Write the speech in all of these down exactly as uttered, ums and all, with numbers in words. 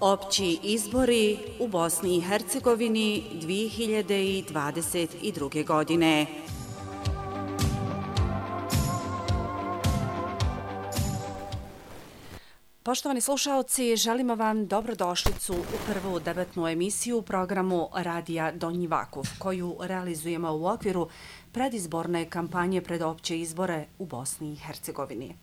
Opći izbori u Bosni i Hercegovini dvije hiljade dvadeset druge. godine. Poštovani slušaoci, želimo vam dobrodošlicu u prvu debatnu emisiju u programu Radija Donji Vakuf, koju realizujemo u okviru predizborne kampanje pred opće izbore u Bosni i Hercegovini.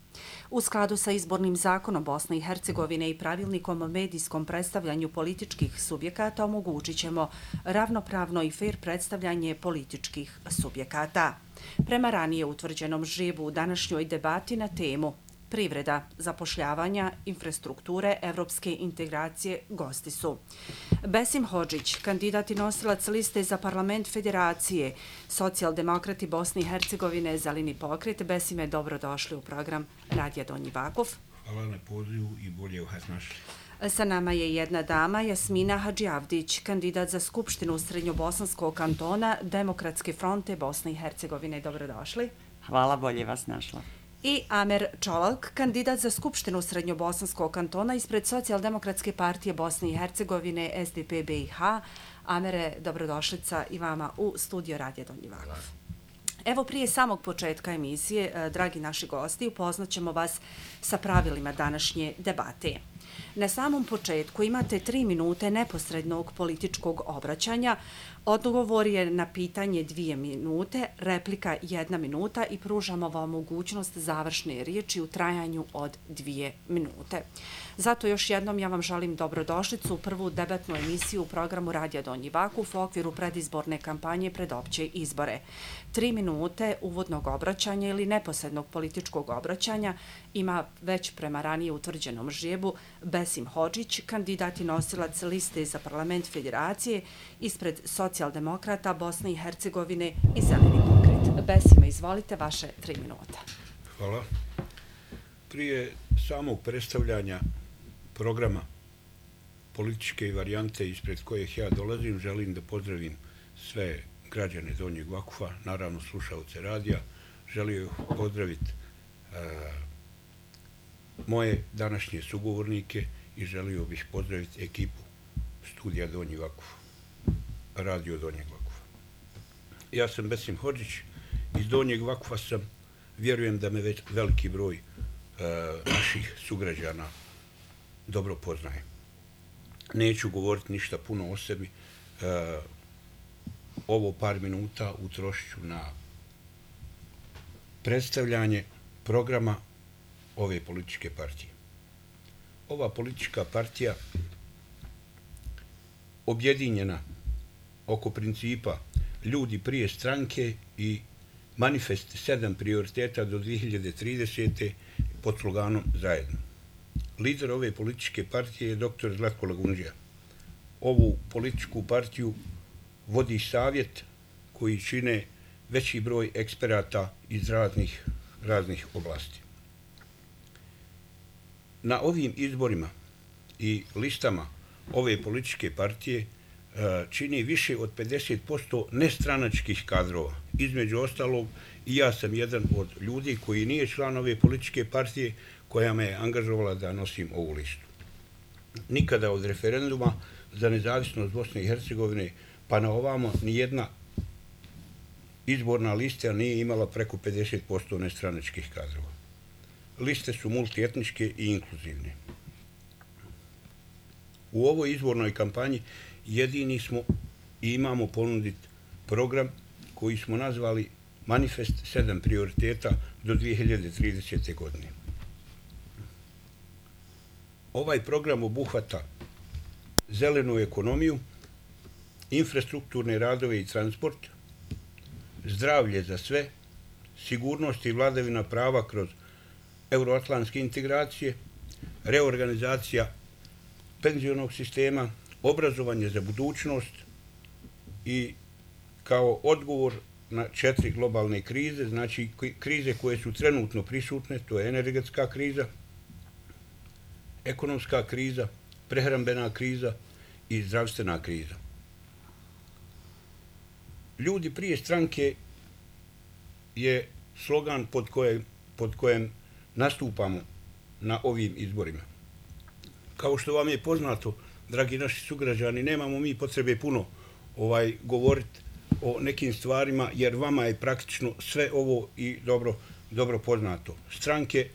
U skladu sa izbornim zakonom Bosne i Hercegovine i pravilnikom o medijskom predstavljanju političkih subjekata omogućit ćemo ravnopravno i fer predstavljanje političkih subjekata. Prema ranije utvrđenom žrebu u današnjoj debati na temu privreda, zapošljavanja, infrastrukture, evropske integracije, gosti su Besim Hodžić, kandidat i nosilac liste za parlament Federacije, socijaldemokrati Bosne i Hercegovine, Zeleni pokret. Besime, dobrodošli u program Radija Donji Vakuf. Hvala na pozivu i bolje vas našli. Sa nama je jedna dama, Jasmina Hadžiavdić, kandidat za Skupštinu Srednjobosanskog kantona Demokratske fronte Bosne i Hercegovine. Dobrodošli. Hvala, bolje vas našla. I Amer Čolak, kandidat za Skupštinu Srednjobosanskog kantona ispred Socijaldemokratske partije Bosne i Hercegovine S D P B i H. Amere, dobrodošlica i vama u studio Radija Donji Vakuf. Evo, prije samog početka emisije, dragi naši gosti, upoznaćemo vas sa pravilima današnje debate. Na samom početku imate tri minute neposrednog političkog obraćanja. Odgovor je na pitanje dvije minute, replika jedna minuta i pružamo vam mogućnost završne riječi u trajanju od dvije minute. Zato još jednom ja vam želim dobrodošlicu u prvu debatnu emisiju u programu Radija Donji Vakuf u okviru predizborne kampanje pred opće izbore. Tri minute uvodnog obraćanja ili neposrednog političkog obraćanja ima već prema ranije utvrđenom žrebu Besim Hodžić, kandidat i nosilac liste za parlament Federacije ispred socijaldemokrata Bosne i Hercegovine i Zeleni pokret. Besime, izvolite, vaše tri minuta. Hvala. Prije samog predstavljanja programa političke varijante ispred kojih ja dolazim, želim da pozdravim sve građane Donjeg Vakufa, naravno slušaoce radija. Želim pozdraviti uh, moje današnje sugovornike i želio bih pozdraviti ekipu studija Donji Vakuf, radio Donjeg Vakufa. Ja sam Besim Hodžić, iz Donjeg Vakufa sam, vjerujem da me već veliki broj uh, naših sugrađana dobro poznaje. Neću govoriti ništa puno o sebi, uh, ovo par minuta utrošit ću na predstavljanje programa ove političke partije. Ova politička partija objedinjena oko principa ljudi prije stranke i manifest sedam prioriteta do dvije hiljade tridesete. pod sloganom zajedno. Lider ove političke partije je doktor Zlatko Lagundžija. Ovu političku partiju vodi savjet koji čine veći broj eksperata iz raznih, raznih oblasti. Na ovim izborima i listama ove političke partije čini više od pedeset posto nestranačkih kadrova. Između ostalog, i ja sam jedan od ljudi koji nije član ove političke partije koja me je angažovala da nosim ovu listu. Nikada od referenduma za nezavisnost Bosne i Hercegovine pa na ovamo nijedna izborna lista nije imala preko pedeset posto nestranačkih kadrova. Liste su multietničke i inkluzivne. U ovoj izbornoj kampanji jedini smo i imamo ponuditi program koji smo nazvali Manifest sedam prioriteta do dvije hiljade tridesete. godine. Ovaj program obuhvata zelenu ekonomiju, infrastrukturne radove i transport, zdravlje za sve, sigurnost i vladavina prava kroz euroatlantske integracije, reorganizacija penzionog sistema, obrazovanje za budućnost i kao odgovor na četiri globalne krize, znači krize koje su trenutno prisutne, to je energetska kriza, ekonomska kriza, prehrambena kriza i zdravstvena kriza. Ljudi prije stranke je slogan pod kojem, pod kojem nastupamo na ovim izborima. Kao što vam je poznato, dragi naši sugrađani, nemamo mi potrebe puno ovaj govoriti o nekim stvarima, jer vama je praktično sve ovo i dobro, dobro poznato. Stranke,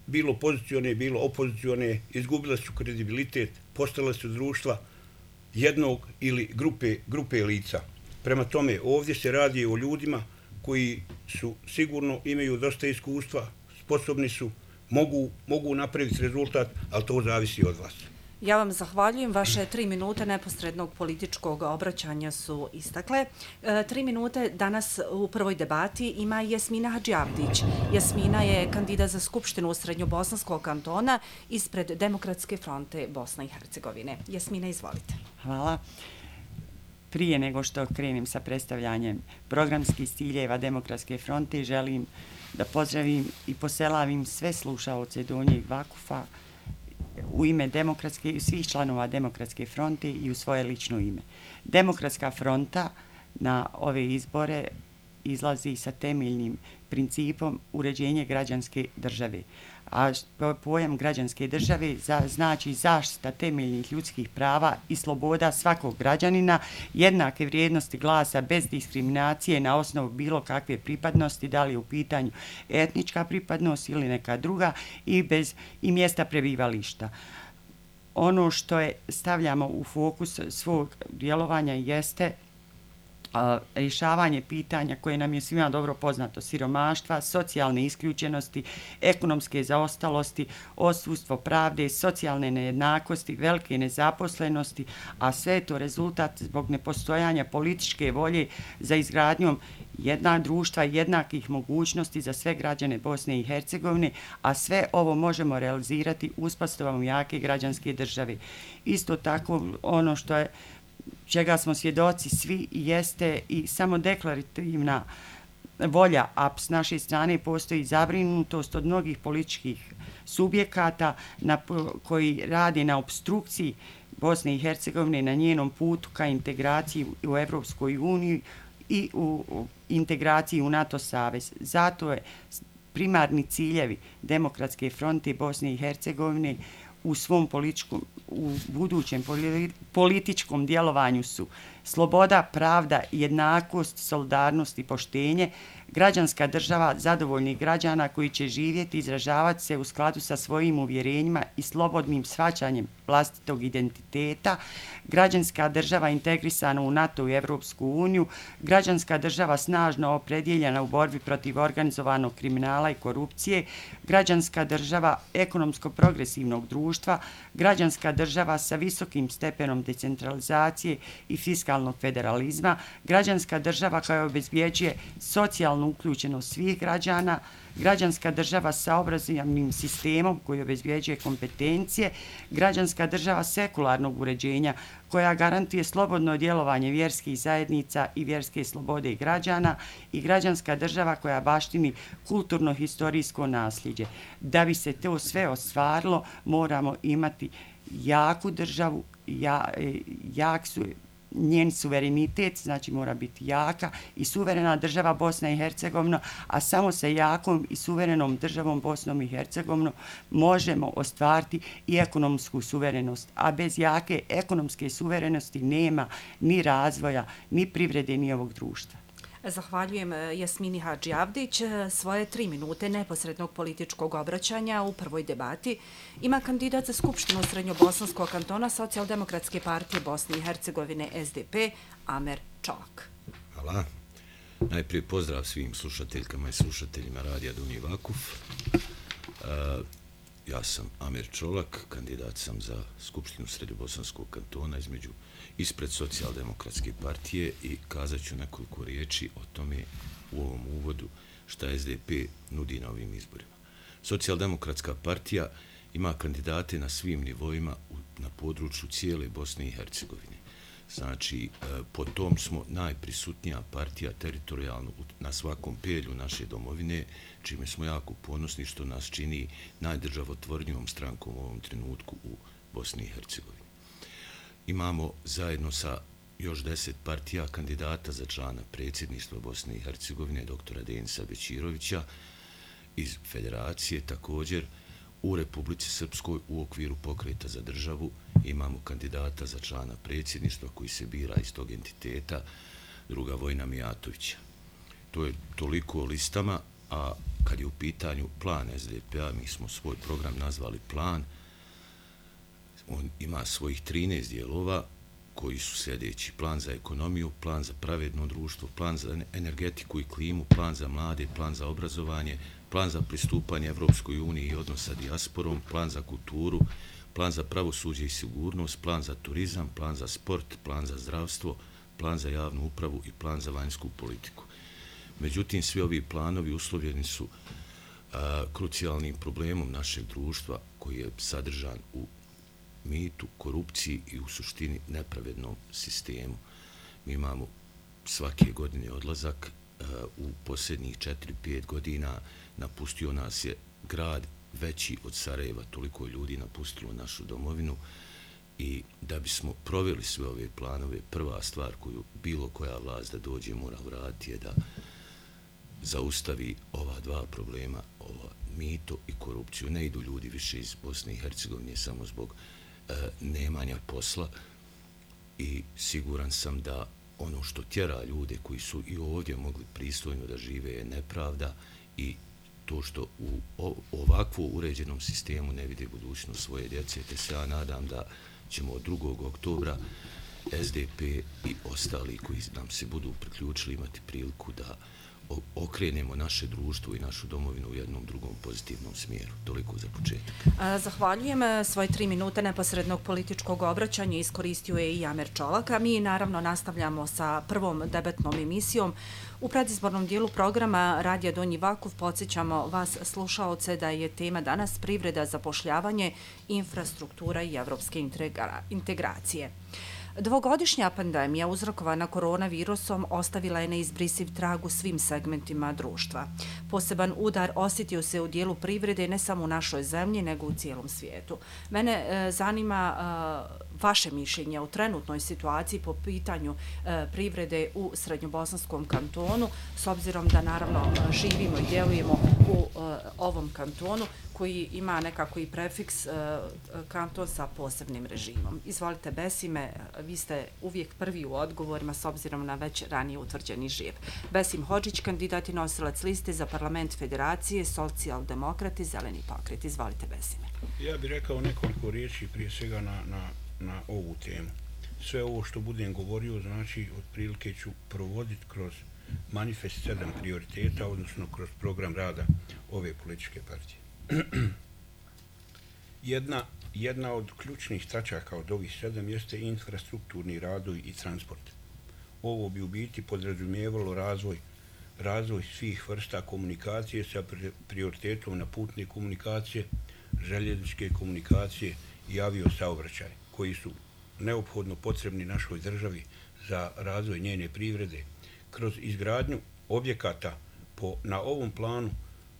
bilo pozicione, bilo opozicione, izgubile su kredibilitet, postale su društva jednog ili grupe, grupe lica. Prema tome, ovdje se radi o ljudima koji su sigurno imaju dosta iskustva, sposobni su, mogu, mogu napraviti rezultat, ali to zavisi od vas. Ja vam zahvaljujem. Vaše tri minute neposrednog političkog obraćanja su istakle. E, tri minute danas u prvoj debati ima Jasmina Hadžiavdić. Jasmina je kandidat za Skupštinu Srednjobosanskog kantona ispred Demokratske fronte Bosne i Hercegovine. Jasmina, izvolite. Hvala. Prije nego što krenem sa predstavljanjem programskih ciljeva Demokratske fronte, želim da pozdravim i poselavim sve slušaoce Donjeg Vakufa u ime demokratske, svih članova Demokratske fronte i u svoje lično ime. Demokratska fronta na ove izbore izlazi sa temeljnim principom uređenje građanske države. A pojam građanske države znači zaštita temeljnih ljudskih prava i sloboda svakog građanina, jednake vrijednosti glasa bez diskriminacije na osnovu bilo kakve pripadnosti, da li je u pitanju etnička pripadnost ili neka druga, i bez i mjesta prebivališta. Ono što je stavljamo u fokus svog djelovanja jeste a, rješavanje pitanja koje nam je svima dobro poznato: siromaštva, socijalne isključenosti, ekonomske zaostalosti, odsustvo pravde, socijalne nejednakosti, velike nezaposlenosti, a sve je to rezultat zbog nepostojanja političke volje za izgradnjom jedna društva jednakih mogućnosti za sve građane Bosne i Hercegovine, a sve ovo možemo realizirati uspostavom jake građanske države. Isto tako, ono što je čega smo svjedoci svi jeste i samo deklarativna volja, a s naše strane postoji zabrinutost od mnogih političkih subjekata na, koji rade na obstrukciji Bosne i Hercegovine na njenom putu ka integraciji u Evropskoj uniji i u, u integraciji u NATO savez. Zato je primarni ciljevi Demokratske fronte Bosne i Hercegovine u svom političkom, u budućem političkom djelovanju su sloboda, pravda, jednakost, solidarnost i poštenje, građanska država zadovoljnih građana koji će živjeti i izražavati se u skladu sa svojim uvjerenjima i slobodnim shvaćanjem vlastitog identiteta, građanska država integrisana u NATO i Evropsku uniju, građanska država snažno opredjeljena u borbi protiv organizovanog kriminala i korupcije, građanska država ekonomsko-progresivnog društva, građanska država sa visokim stepenom decentralizacije i fiskalnog federalizma, građanska država koja obezbjeđuje socijalnu uključenost svih građana, građanska država sa obrazovnim sistemom koji obezbjeđuje kompetencije, građanska država sekularnog uređenja koja garantuje slobodno djelovanje vjerskih zajednica i vjerske slobode građana, i građanska država koja baštini kulturno-historijsko nasljeđe. Da bi se to sve ostvarilo, moramo imati jaku državu, ja, jak su njen suverenitet, znači mora biti jaka i suverena država Bosna i Hercegovina, a samo sa jakom i suverenom državom Bosnom i Hercegovinom možemo ostvariti i ekonomsku suverenost. A bez jake ekonomske suverenosti nema ni razvoja, ni privrede, ni ovog društva. Zahvaljujem Jasmini Hadžiavdić. Svoje tri minute neposrednog političkog obraćanja u prvoj debati ima kandidat za Skupštinu Srednjobosanskog kantona Socijaldemokratske partije Bosne i Hercegovine S D P, Amer Čolak. Hvala. Najprije pozdrav svim slušateljkama i slušateljima Radija Donji Vakuf. Uh, ja sam Amer Čolak, kandidat sam za Skupštinu Srednjobosanskog kantona između ispred Socijaldemokratske partije i kazat ću nekoliko riječi o tome u ovom uvodu šta S D P nudi na ovim izborima. Socijaldemokratska partija ima kandidate na svim nivoima na području cijele Bosne i Hercegovine. Znači, po tom smo najprisutnija partija teritorijalno na svakom pelju naše domovine, čime smo jako ponosni što nas čini najdržavotvornijom strankom u ovom trenutku u Bosni i Hercegovini. Imamo zajedno sa još deset partija kandidata za člana predsjedništva Bosne i Hercegovine, doktora Denisa Bećirovića iz Federacije. Također u Republici Srpskoj u okviru Pokreta za državu imamo kandidata za člana predsjedništva koji se bira iz tog entiteta, druga Vojna Mijatovića. To je toliko o listama, a kad je u pitanju plan S D P-a, mi smo svoj program nazvali plan. On ima svojih trinaest dijelova koji su sljedeći: plan za ekonomiju, plan za pravedno društvo, plan za energetiku i klimu, plan za mlade, plan za obrazovanje, plan za pristupanje Evropskoj uniji i odnos sa dijasporom, plan za kulturu, plan za pravosuđe i sigurnost, plan za turizam, plan za sport, plan za zdravstvo, plan za javnu upravu i plan za vanjsku politiku. Međutim, svi ovi planovi uslovljeni su a, krucijalnim problemom našeg društva koji je sadržan u mitu, korupciji i u suštini nepravednom sistemu. Mi imamo svake godine odlazak. U posljednjih četiri pet godina napustio nas je grad veći od Sarajeva, toliko ljudi napustilo našu domovinu, i da bismo proveli sve ove planove, prva stvar koju bilo koja vlast da dođe mora uraditi je da zaustavi ova dva problema, ova mito i korupciju. Ne idu ljudi više iz Bosne i Hercegovine samo zbog e, nemanja posla, i siguran sam da ono što tjera ljude koji su i ovdje mogli pristojno da žive je nepravda, i to što u ovakvo uređenom sistemu ne vide budućnost svoje djece, te se ja nadam da ćemo od drugog oktobra S D P i ostali koji nam se budu priključili imati priliku da okrenemo naše društvo i našu domovinu u jednom drugom pozitivnom smjeru. Toliko za početak. Zahvaljujem. Svoje tri minute neposrednog političkog obraćanja iskoristio je i Amer Čolak, a mi naravno nastavljamo sa prvom debatnom emisijom. U predizbornom dijelu programa Radija Donji Vakuf podsjećamo vas, slušaoce, da je tema danas privreda, zapošljavanje, infrastruktura i evropske integracije. Dvogodišnja pandemija uzrokovana koronavirusom ostavila je neizbrisiv trag u svim segmentima društva. Poseban udar osjetio se u dijelu privrede ne samo u našoj zemlji, nego u cijelom svijetu. Mene e, zanima e, vaše mišljenje o trenutnoj situaciji po pitanju e, privrede u Srednjobosanskom kantonu, s obzirom da naravno živimo i djelujemo u e, ovom kantonu koji ima nekako i prefiks e, kanton sa posebnim režimom. Izvolite, Besime, vi ste uvijek prvi u odgovorima s obzirom na već ranije utvrđeni žijep. Besim Hodžić, kandidat i nosilac liste za parlament Federacije, socijaldemokrati, zeleni pokret. Izvolite, Besime. Ja bih rekao nekoliko riječi prije svega na, na, na ovu temu. Sve ovo što budem govorio, znači, otprilike ću provoditi kroz manifest sedam prioriteta, odnosno kroz program rada ove političke partije. Jedna, jedna od ključnih tačaka od ovih sedam jeste infrastrukturni radovi i transport. Ovo bi u biti podrazumijevalo razvoj, razvoj svih vrsta komunikacije sa prioritetom na putne komunikacije, željezničke komunikacije i aviosaobraćaj, koji su neophodno potrebni našoj državi za razvoj njene privrede. Kroz izgradnju objekata po, na ovom planu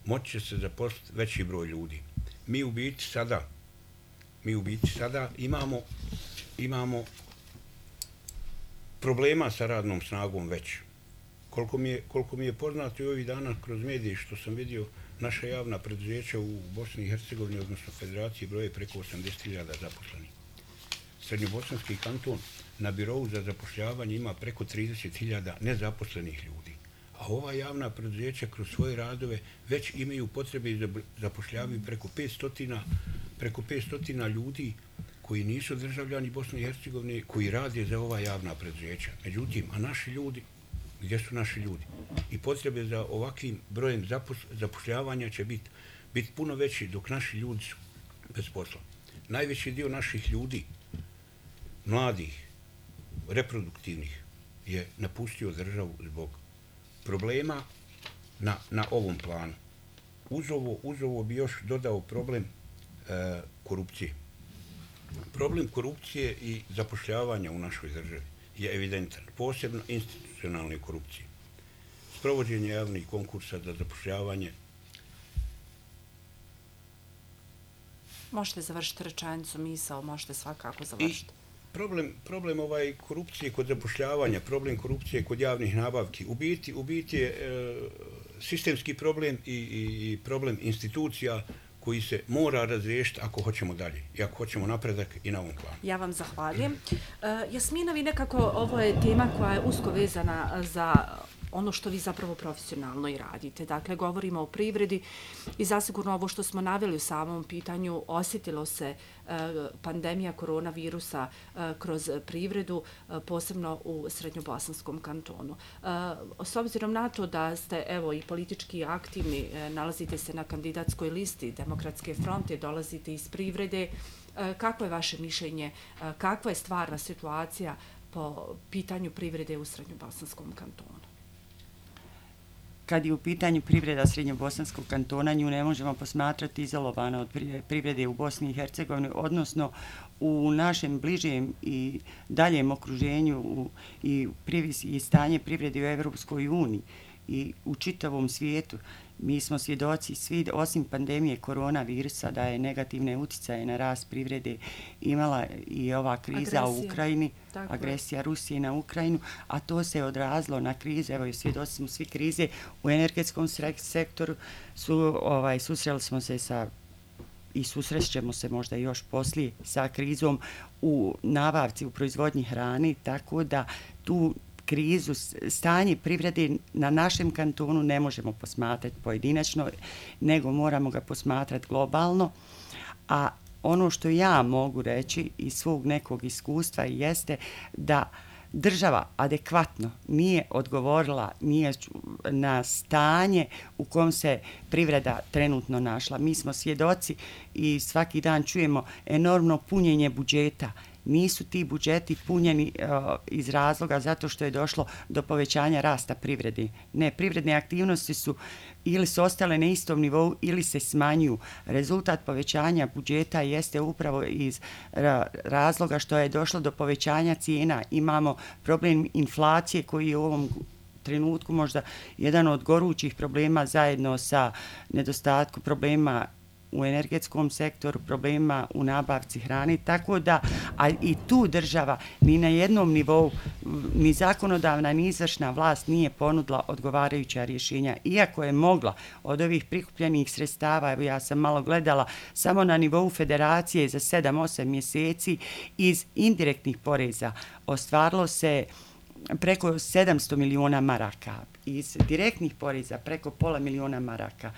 moći će se zaposliti veći broj ljudi. Mi u biti sada, mi u biti sada imamo, imamo problema sa radnom snagom već. Koliko mi je, koliko mi je poznato i ovih dana kroz medije što sam vidio, naša javna preduzeća u Bosni i Hercegovini, odnosno Federaciji, broje preko osamdeset hiljada zaposlenih. Srednjobosanski kanton na birovu za zapošljavanje ima preko trideset hiljada nezaposlenih ljudi. A ova javna preduzeća kroz svoje radove već imaju potrebe i zapošljavaju preko petsto, preko petsto ljudi koji nisu državljani Bosne i Hercegovine, koji rade za ova javna preduzeća. Međutim, a naši ljudi, gdje su naši ljudi? I potrebe za ovakvim brojem zapošljavanja će biti bit puno veći dok naši ljudi su bez posla. Najveći dio naših ljudi, mladih, reproduktivnih, je napustio državu zbog problema na, na ovom planu. Uz ovo, uz ovo bi još dodao problem e, korupcije. Problem korupcije i zapošljavanja u našoj državi je evidentan, posebno institucionalne korupcije. Sprovođenje javnih konkursa za zapošljavanje. Možete završiti rečenicu, misao, možete svakako završiti. Problem, problem ovaj korupcije kod zapošljavanja, problem korupcije kod javnih nabavki, u biti, u biti je e, sistemski problem i, i, i problem institucija koji se mora razriješiti ako hoćemo dalje i ako hoćemo napredak i na ovom planu. Ja vam zahvaljujem. Uh, Jasmina, vi nekako, ovo je tema koja je usko vezana za ono što vi zapravo profesionalno i radite. Dakle, govorimo o privredi i zasigurno ovo što smo naveli u samom pitanju, osjetilo se uh, pandemija koronavirusa uh, kroz privredu, uh, posebno u Srednjobosanskom kantonu. Uh, s obzirom na to da ste evo i politički aktivni, uh, nalazite se na kandidatskoj listi Demokratske fronte, dolazite iz privrede, uh, kako je vaše mišljenje, uh, kakva je stvarna situacija po pitanju privrede u Srednjobosanskom kantonu? Kad je u pitanju privreda Srednjobosanskog kantona, nju ne možemo posmatrati izolovano od privrede u Bosni i Hercegovini, odnosno u našem bližem i daljem okruženju u, i, i stanje privrede u Evropskoj uniji i u čitavom svijetu. Mi smo svjedoci svi, osim pandemije koronavirusa, da je negativne uticaje na rast privrede imala i ova kriza agresija. u Ukrajini, Tako agresija je. Rusije na Ukrajinu, a to se odrazilo na krize, evo i svjedoci smo svi krize u energetskom sektoru, su, ovaj, susreli smo se sa i susrećemo se možda još poslije sa krizom u nabavci, u proizvodnji hrane, tako da tu krizu, stanje privrede na našem kantonu ne možemo posmatrati pojedinačno, nego moramo ga posmatrati globalno. A ono što ja mogu reći iz svog nekog iskustva jeste da država adekvatno nije odgovorila nije na stanje u kom se privreda trenutno našla. Mi smo svjedoci i svaki dan čujemo enormno punjenje budžeta. Nisu ti budžeti punjeni uh, iz razloga zato što je došlo do povećanja rasta privrede. Ne, privredne aktivnosti su ili su ostale na istom nivou ili se smanjuju. Rezultat povećanja budžeta jeste upravo iz ra- razloga što je došlo do povećanja cijena. Imamo problem inflacije koji je u ovom trenutku možda jedan od gorućih problema zajedno sa nedostatkom problema u energetskom sektoru, problema u nabavci hrane, tako da a i tu država ni na jednom nivou, ni zakonodavna, ni izvršna vlast nije ponudila odgovarajuća rješenja. Iako je mogla od ovih prikupljenih sredstava, evo ja sam malo gledala, samo na nivou federacije za sedam osam mjeseci iz indirektnih poreza ostvarilo se preko sedamsto miliona maraka, iz direktnih poreza preko pola miliona maraka.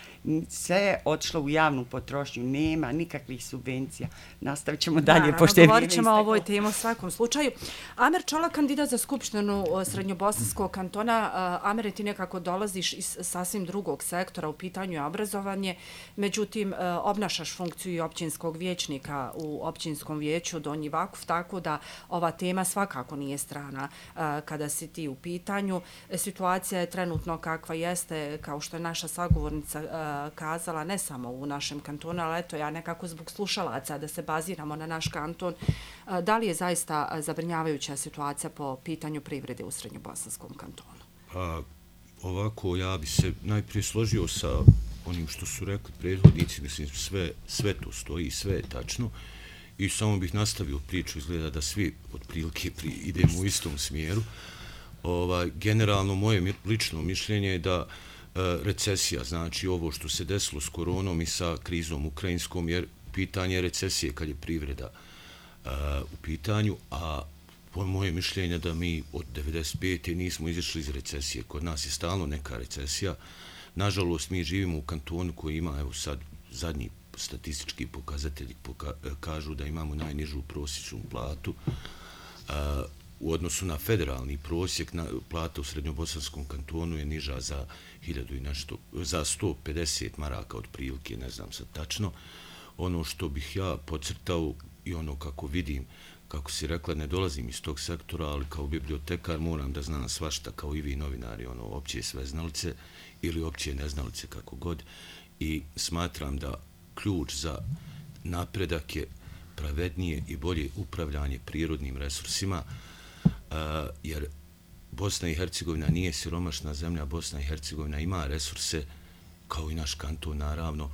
Sve je otišlo u javnu potrošnju, nema nikakvih subvencija. Nastavit ćemo dalje. Naravno, pošto je govorit ćemo o ovoj temi u svakom slučaju. Amer Čolak, kandidat za Skupštinu Srednjobosanskog kantona. Amer, ti nekako dolaziš iz sasvim drugog sektora, u pitanju je obrazovanje, međutim obnašaš funkciju i općinskog vijećnika u općinskom vijeću Donji Vakuf, tako da ova tema svakako nije strana kada si ti u pitanju. Situacija je trenutno kakva jeste, kao što je naša sagovornica uh, kazala, ne samo u našem kantonu, ali eto ja nekako zbog slušalaca da se baziramo na naš kanton. Uh, da li je zaista zabrinjavajuća situacija po pitanju privrede u Srednjobosanskom kantonu? Pa, ovako, ja bi se najprije složio sa onim što su rekli prethodnici, mislim, sve, sve to stoji, sve je tačno. I samo bih nastavio priču, izgleda da svi otprilike idemo u istom smjeru. Ovaj, generalno moje lično mišljenje je da e, recesija, znači ovo što se desilo s koronom i sa krizom ukrajinskom, jer pitanje recesije kad je privreda e, u pitanju, a po moje mišljenje da mi od devedeset pete nismo izašli iz recesije. Kod nas je stalno neka recesija. Nažalost, mi živimo u kantonu koji ima, evo sad, zadnji statistički pokazatelji poka kažu da imamo najnižu prosječnu platu. E, U odnosu na federalni prosjek, na, plata u Srednjobosanskom kantonu je niža za hiljadu i nešto, za sto pedeset maraka otprilike, ne znam sad tačno. Ono što bih ja podcrtao i ono kako vidim, kako si rekla, ne dolazim iz tog sektora, ali kao bibliotekar moram da znam svašta, kao i vi novinari, ono, opće sveznalice ili opće neznalice, kako god. I smatram da ključ za napredak je pravednije i bolje upravljanje prirodnim resursima, Uh, jer Bosna i Hercegovina nije siromašna zemlja, Bosna i Hercegovina ima resurse, kao i naš kanton naravno,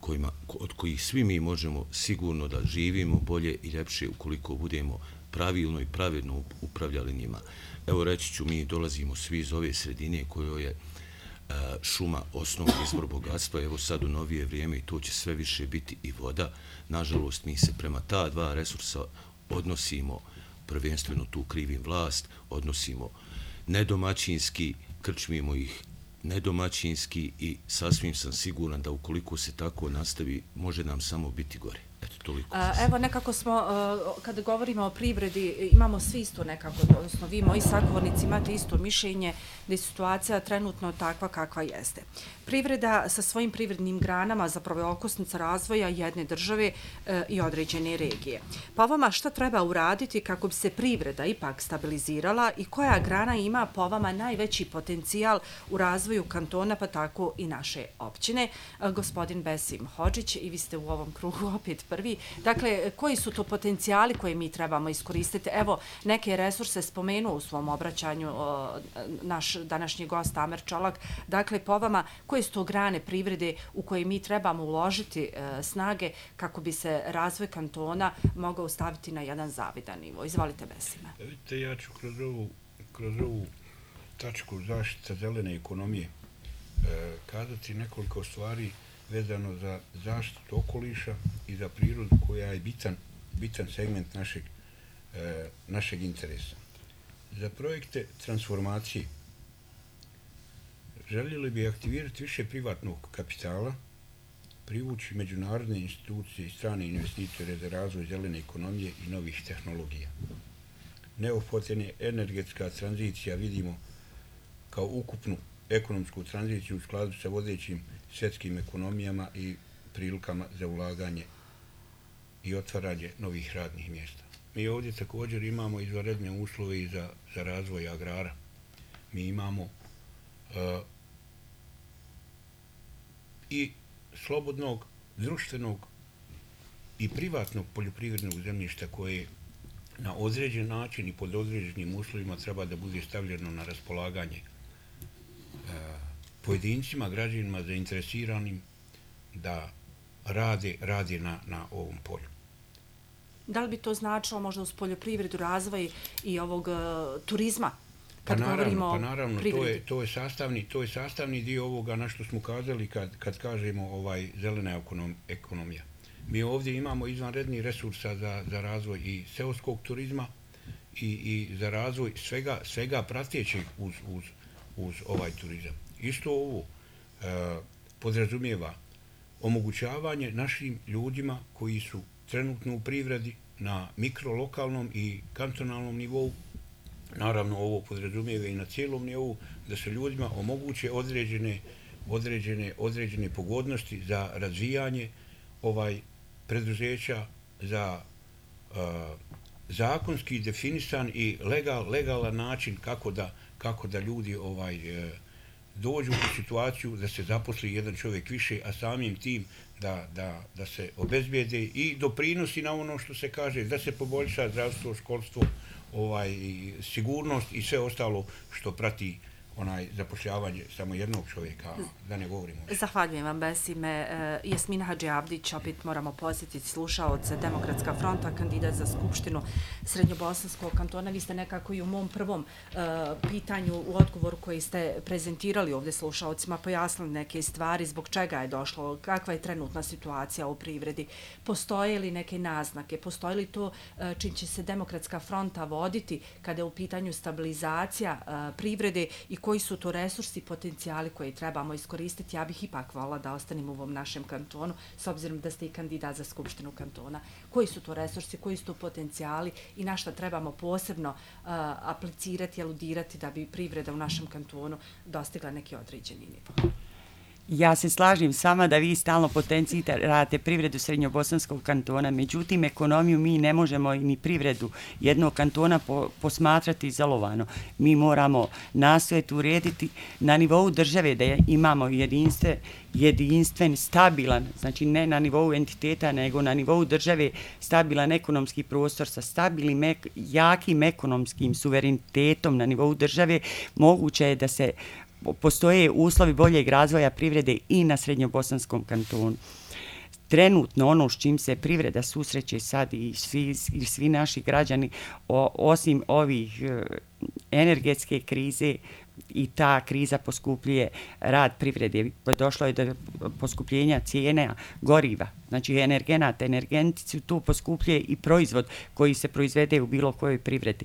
kojima, od kojih svi mi možemo sigurno da živimo bolje i ljepše ukoliko budemo pravilno i pravedno upravljali njima. Evo reći ću, mi dolazimo svi iz ove sredine kojoj je uh, šuma osnovni izvor bogatstva, evo sad u novije vrijeme i to će sve više biti i voda. Nažalost, mi se prema ta dva resursa odnosimo, prvenstveno tu krivim vlast, odnosimo nedomaćinski, krčmimo ih nedomaćinski i sasvim sam siguran da ukoliko se tako nastavi, može nam samo biti gore. Eto, toliko. Evo, nekako smo, kada govorimo o privredi, imamo svi isto nekako, odnosno vi, moji sagovornici, imate isto mišljenje da je situacija trenutno takva kakva jeste. Privreda sa svojim privrednim granama zapravo je okosnica razvoja jedne države i određene regije. Pa vama šta treba uraditi kako bi se privreda ipak stabilizirala i koja grana ima po vama najveći potencijal u razvoju kantona, pa tako i naše općine? Gospodin Besim Hodžić, i vi ste u ovom krugu opet prvi. Dakle, koji su to potencijali koje mi trebamo iskoristiti? Evo, neke resurse spomenuo u svom obraćanju naš današnji gost Amer Čolak. Dakle, po vama, koje su to grane privrede u koje mi trebamo uložiti snage kako bi se razvoj kantona mogao staviti na jedan zavidan nivo? Izvolite, Besime. Vidite, ja ću kroz ovu, kroz ovu tačku zaštita zelene ekonomije kazati nekoliko stvari vezano za zaštitu okoliša i za prirodu koja je bitan, bitan segment našeg, e, našeg interesa. Za projekte transformacije željeli bi aktivirati više privatnog kapitala, privući međunarodne institucije i strane investitore za razvoj zelene ekonomije i novih tehnologija. Neophodna je energetska tranzicija, vidimo, kao ukupnu ekonomsku tranziciju u skladu sa vodećim svjetskim ekonomijama i prilikama za ulaganje i otvaranje novih radnih mjesta. Mi ovdje također imamo izvanredne uslove i za, za razvoj agrara. Mi imamo uh, i slobodnog, društvenog i privatnog poljoprivrednog zemljišta koje na određen način i pod određenim uslovima treba da bude stavljeno na raspolaganje pojedincima, građanima zainteresiranim da rade, rade na, na ovom polju. Da li bi to značilo možda uz poljoprivredu, razvoj i ovog uh, turizma? Kad pa naravno, govorimo pa naravno to je, to, je sastavni, to je sastavni dio ovoga na što smo kazali kad, kad kažemo ovaj zelena ekonom, ekonomija. Mi ovdje imamo izvanredni resursa za, za razvoj i seoskog turizma i, i za razvoj svega, svega pratećeg uz, uz, uz ovaj turizam. Isto ovo e, podrazumijeva omogućavanje našim ljudima koji su trenutno u privredi na mikrolokalnom i kantonalnom nivou, naravno ovo podrazumijeva i na cijelom nivou, da se ljudima omoguće određene, određene, određene pogodnosti za razvijanje ovaj preduzeća, za e, zakonski definisan i legal, legalan način kako da, kako da ljudi ovaj e, dođu u situaciju da se zaposli jedan čovjek više, a samim tim da, da, da se obezbijede i doprinosi na ono što se kaže, da se poboljša zdravstvo, školstvo, ovaj, sigurnost i sve ostalo što prati onaj zapošljavanje samo jednog čovjeka, da ne govorimo. Zahvaljujem vam, Besime. Jasmina Hadžiavdić, opet moramo posjetiti slušaoce, Demokratska fronta, kandidat za Skupštinu Srednjobosanskog kantona. Vi ste nekako i u mom prvom uh, pitanju, u odgovoru koji ste prezentirali ovdje slušaocima, pojasnili neke stvari, zbog čega je došlo, kakva je trenutna situacija u privredi, postoje li neke naznake, postoje li to uh, čim će se Demokratska fronta voditi kada je u pitanju stabilizacija uh, privrede i koji su to resursi i potencijali koje trebamo iskoristiti. Ja bih ipak volila da ostanem u ovom našem kantonu, s obzirom da ste i kandidat za Skupštinu kantona. Koji su to resursi, koji su to potencijali i na šta trebamo posebno uh, aplicirati, aludirati da bi privreda u našem kantonu dostigla neki određeni nivo? Ja se slažem s vama da vi stalno potencirate privredu Srednjobosanskog kantona, međutim ekonomiju mi ne možemo ni privredu jednog kantona po, posmatrati izolovano. Mi moramo nastojati urediti na nivou države da imamo jedinstve, jedinstven, stabilan, znači ne na nivou entiteta, nego na nivou države stabilan ekonomski prostor sa stabilnim, ek, jakim ekonomskim suverenitetom na nivou države. Moguće je da se postoje uslovi boljeg razvoja privrede i na Srednjobosanskom kantonu. Trenutno ono s čim se privreda susreće sad i svi, i svi naši građani, o, osim ovih e, energetske krize i ta kriza poskupljuje rad privrede. Došlo je do poskupljenja cijena goriva, znači energenata, energentici, tu poskupljuje i proizvod koji se proizvede u bilo kojoj privredi.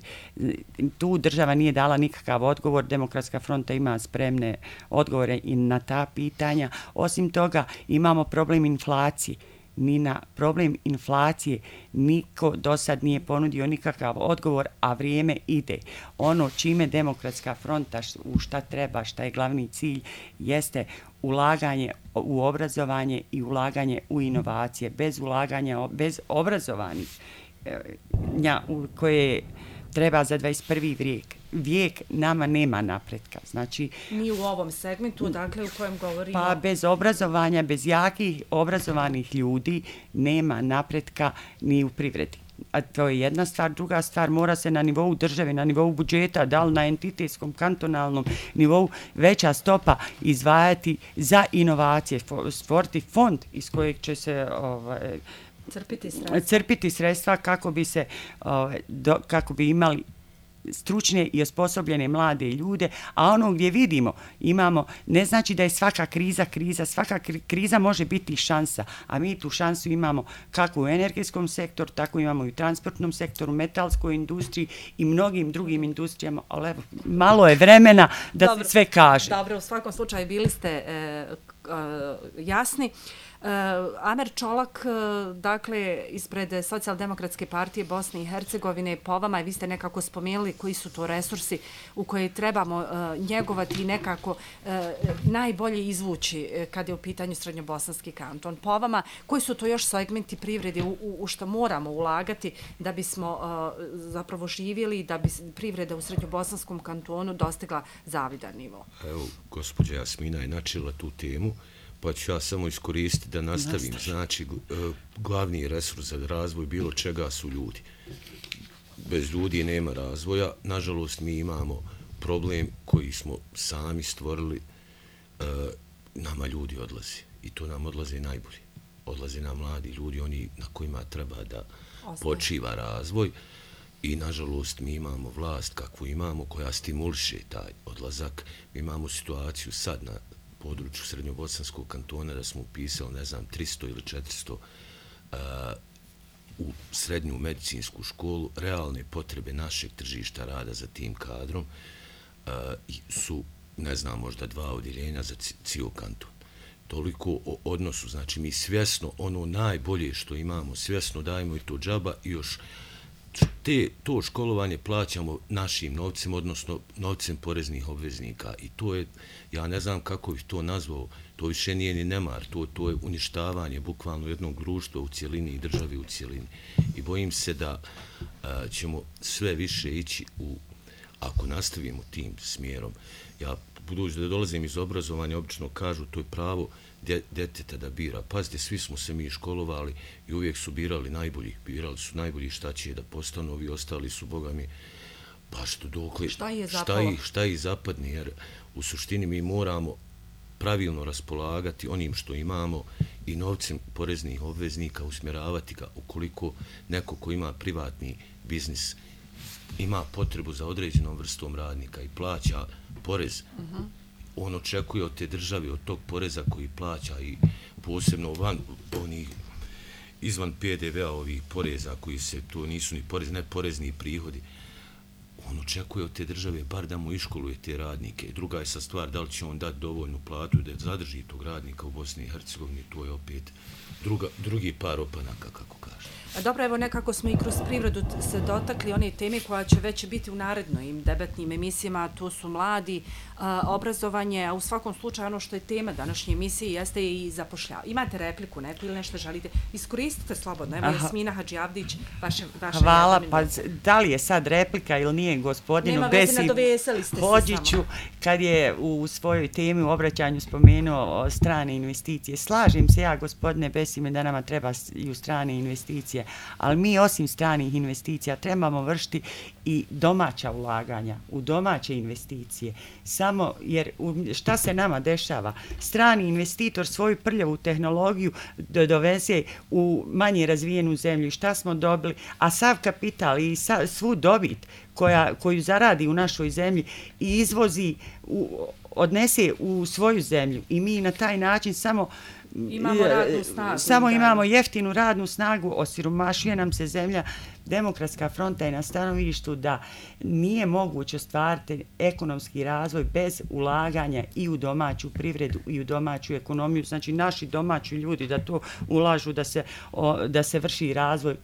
Tu država nije dala nikakav odgovor, Demokratska fronta ima spremne odgovore i na ta pitanja. Osim toga, imamo problem inflacije. Ni na problem inflacije niko do sad nije ponudio nikakav odgovor, a vrijeme ide. Ono čime Demokratska fronta, u šta treba, šta je glavni cilj, jeste ulaganje u obrazovanje i ulaganje u inovacije. Bez ulaganja, bez obrazovanih koje treba za dvadeset prvi vijek. Vijek nama nema napretka. Znači, ni u ovom segmentu, dakle, u kojem govorimo... Pa bez obrazovanja, bez jakih obrazovanih ljudi nema napretka ni u privredi. A to je jedna stvar. Druga stvar, mora se na nivou države, na nivou budžeta, da li na entitetskom, kantonalnom nivou, veća stopa izdvajati za inovacije, stvoriti fond iz kojeg će se... Ovaj, crpiti sredstva. crpiti sredstva kako bi se ovaj, do, kako bi imali stručne i osposobljene mlade ljude, a ono gdje vidimo, imamo, ne znači da je svaka kriza kriza, svaka kriza može biti šansa, a mi tu šansu imamo kako u energetskom sektoru, tako imamo i u transportnom sektoru, metalskoj industriji i mnogim drugim industrijama, ali evo, malo je vremena da dobro, se sve kaže. Dobro, u svakom slučaju bili ste e, e, jasni. Uh, Amer Čolak, uh, dakle, ispred Socijaldemokratske partije Bosne i Hercegovine, po vama, vi ste nekako spomenuli koji su to resursi u koje trebamo uh, njegovati i nekako uh, najbolje izvući uh, kad je u pitanju Srednjobosanski kanton. Po vama, koji su to još segmenti privrede u, u, u što moramo ulagati da bismo uh, zapravo živjeli, da bi privreda u Srednjobosanskom kantonu dostigla zavidan nivo? Evo, gospođa Jasmina je načela tu temu, pa ću ja samo iskoristiti da nastavim. Znači, glavni resurs za razvoj bilo čega su ljudi. Bez ljudi nema razvoja. Nažalost, mi imamo problem koji smo sami stvorili. Nama ljudi odlaze. I to nam odlaze najbolji. Odlaze nam mladi ljudi, oni na kojima treba da počiva razvoj. I, nažalost, mi imamo vlast kakvu imamo, koja stimuliše taj odlazak. Mi imamo situaciju sad na području Srednjobosanskog kantona da smo upisali, ne znam, tristo ili četiristo uh, u srednju medicinsku školu. Realne potrebe našeg tržišta rada za tim kadrom uh, su, ne znam, možda dva odjeljenja za cijel kanton. Toliko o odnosu, znači mi svjesno ono najbolje što imamo, svjesno dajemo i to džaba i još te, to školovanje plaćamo našim novcem, odnosno novcem poreznih obveznika. I to je, ja ne znam kako bih to nazvao, to više nije ni nemar, to, to je uništavanje bukvalno jednog društva u cijelini i državi u cijelini. I bojim se da a, ćemo sve više ići u, ako nastavimo tim smjerom. Ja, budući da dolazim iz obrazovanja, obično kažu to je pravo djeteta da bira. Pazite, svi smo se mi školovali i uvijek su birali najbolji. Birali su najbolji šta će da postanu, ovi ostali su, boga mi, pa što dokle, šta je šta i, šta i zapadni, jer u suštini mi moramo pravilno raspolagati onim što imamo i novcem poreznih obveznika usmjeravati ga ukoliko neko ko ima privatni biznis ima potrebu za određenom vrstom radnika i plaća porez. Uh-huh. On očekuje od te države, od tog poreza koji plaća i posebno van onih izvan P D V-a ovih poreza koji se, to nisu ni porez, ne porezni prihodi. On očekuje od te države bar da mu iškoluje te radnike. Druga je sa stvar da li će on dati dovoljnu platu da zadrži tog radnika u Bosni i Hercegovini, to je opet druga, drugi par opanaka, kako kaže. Dobro, evo nekako smo i kroz privredu se dotakli one teme koja će već biti u narednim debatnim emisijama, to su mladi, a, obrazovanje, a u svakom slučaju ono što je tema današnje emisije jeste i zapošljavanje. Imate repliku neku ili nešto želite? Iskoristite slobodno. Evo, Jasmina Hadžijavdić, vaše, vaše Hvala, pa da li je sad replika ili nije gospodinu Besi Hodžiću, kad je u svojoj temi u obraćanju spomenuo strane investicije. Slažem se ja, gospodine Besime, da nama treba i u strane investicije, ali mi osim stranih investicija trebamo vršiti i domaća ulaganja u domaće investicije. Samo jer šta se nama dešava? Strani investitor svoju prljavu tehnologiju doveze u manje razvijenu zemlju. Šta smo dobili? A sav kapital i svu dobit koja, koju zaradi u našoj zemlji i izvozi, u, odnese u svoju zemlju i mi na taj način samo imamo radnu snagu. Samo imamo jeftinu radnu snagu, osiromašuje nam se zemlja. Demokratska fronta je na stanovištu da nije moguće ostvariti ekonomski razvoj bez ulaganja i u domaću privredu i u domaću ekonomiju. Znači naši domaći ljudi da to ulažu, da se, o, da se vrši razvoj,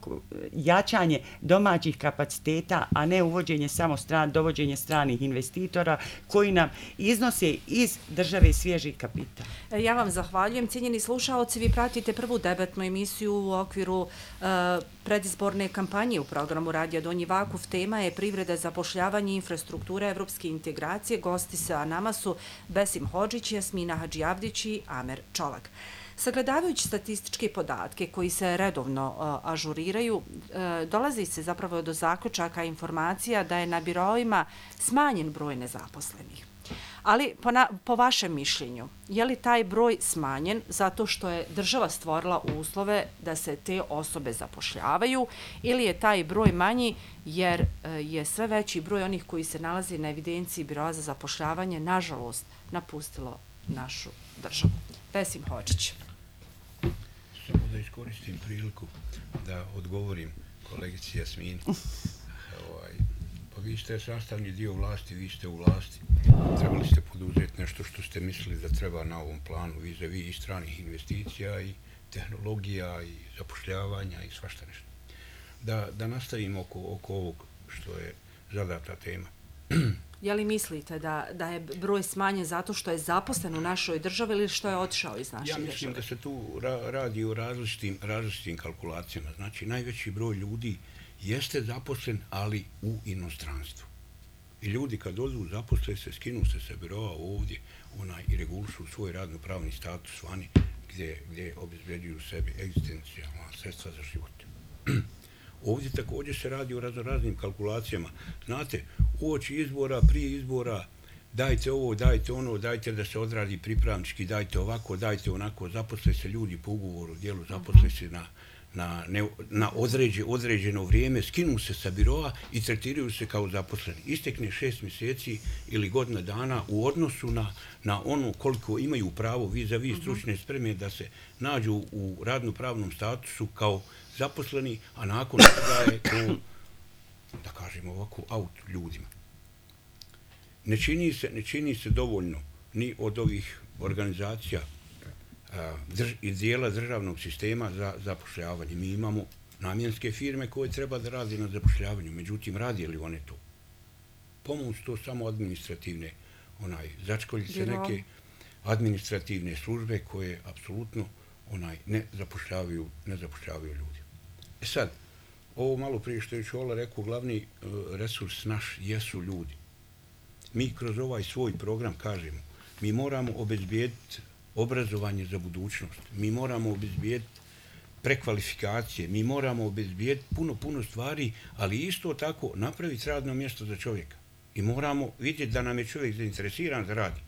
jačanje domaćih kapaciteta, a ne uvođenje samo stran, dovođenje stranih investitora koji nam iznose iz države svježi kapital. Ja vam zahvaljujem. Cijenjeni slušaoci, vi pratite prvu debatnu emisiju u okviru uh, predizborne kampanje u programu Radija Donji Vakuf. Tema je privreda, zapošljavanje i infrastruktura evropske integracije. Gosti sa nama su Besim Hodžić, Jasmina Hadžijavdić i Amer Čolak. Sagledavajući statističke podatke koji se redovno uh, ažuriraju, uh, dolazi se zapravo do zaključaka informacija da je na biroima smanjen broj nezaposlenih. Ali po, na, po vašem mišljenju, je li taj broj smanjen zato što je država stvorila uslove da se te osobe zapošljavaju ili je taj broj manji jer je sve veći broj onih koji se nalazi na evidenciji Biroa za zapošljavanje nažalost napustilo našu državu? Besim Hodžić. Samo da iskoristim priliku da odgovorim kolegici Jasmini. ovaj, pa vi ste sastavni dio vlasti, vi ste u vlasti. Trebali ste poduzeti nešto što ste mislili da treba na ovom planu vizavi i stranih investicija i tehnologija i zapošljavanja i svašta nešto. Da, da nastavimo oko, oko ovog što je zadata tema. Je li mislite da, da je broj smanjen zato što je zaposlen u našoj državi ili što je otišao iz naše države? Ja mislim države? da se tu ra radi o različitim, različitim kalkulacijama. Znači, najveći broj ljudi jeste zaposlen, ali u inostranstvu. I ljudi kad odu zaposle se, skinu se sa biroa ovdje, onaj, i regulišu svoj radno-pravni status vani, gdje, gdje obezbeđuju sebi egzistencijalna sredstva za život. Ovdje također se radi o raznoraznim kalkulacijama. Znate, uoči izbora, prije izbora, dajte ovo, dajte ono, dajte da se odradi pripravnički, dajte ovako, dajte onako, zaposle se ljudi po ugovoru, dijelu zaposle se na na, ne, na određe, određeno vrijeme, skinu se sa biroa i tretiraju se kao zaposleni. Istekne šest mjeseci ili godina dana u odnosu na, na ono koliko imaju pravo vis-a-vis stručne spreme da se nađu u radno-pravnom statusu kao zaposleni, a nakon toga je to, da kažemo ovako, out ljudima. Ne čini se, ne čini se dovoljno ni od ovih organizacija Drž, i dijela državnog sistema za zapošljavanje. Mi imamo namjenske firme koje treba da radi na zapošljavanju, međutim, radi li one to? Pomoć to samo administrativne, onaj, začkoljice neke administrativne službe koje apsolutno onaj, ne zapošljavaju, ne zapošljavaju ljudi. E sad, ovo malo prije što je Čola rekao, glavni uh, resurs naš jesu ljudi. Mi kroz ovaj svoj program kažemo, mi moramo obezbijediti obrazovanje za budućnost. Mi moramo obezbijediti prekvalifikacije, mi moramo obezbijediti puno, puno stvari, ali isto tako napraviti radno mjesto za čovjeka. I moramo vidjeti da nam je čovjek zainteresiran da radi.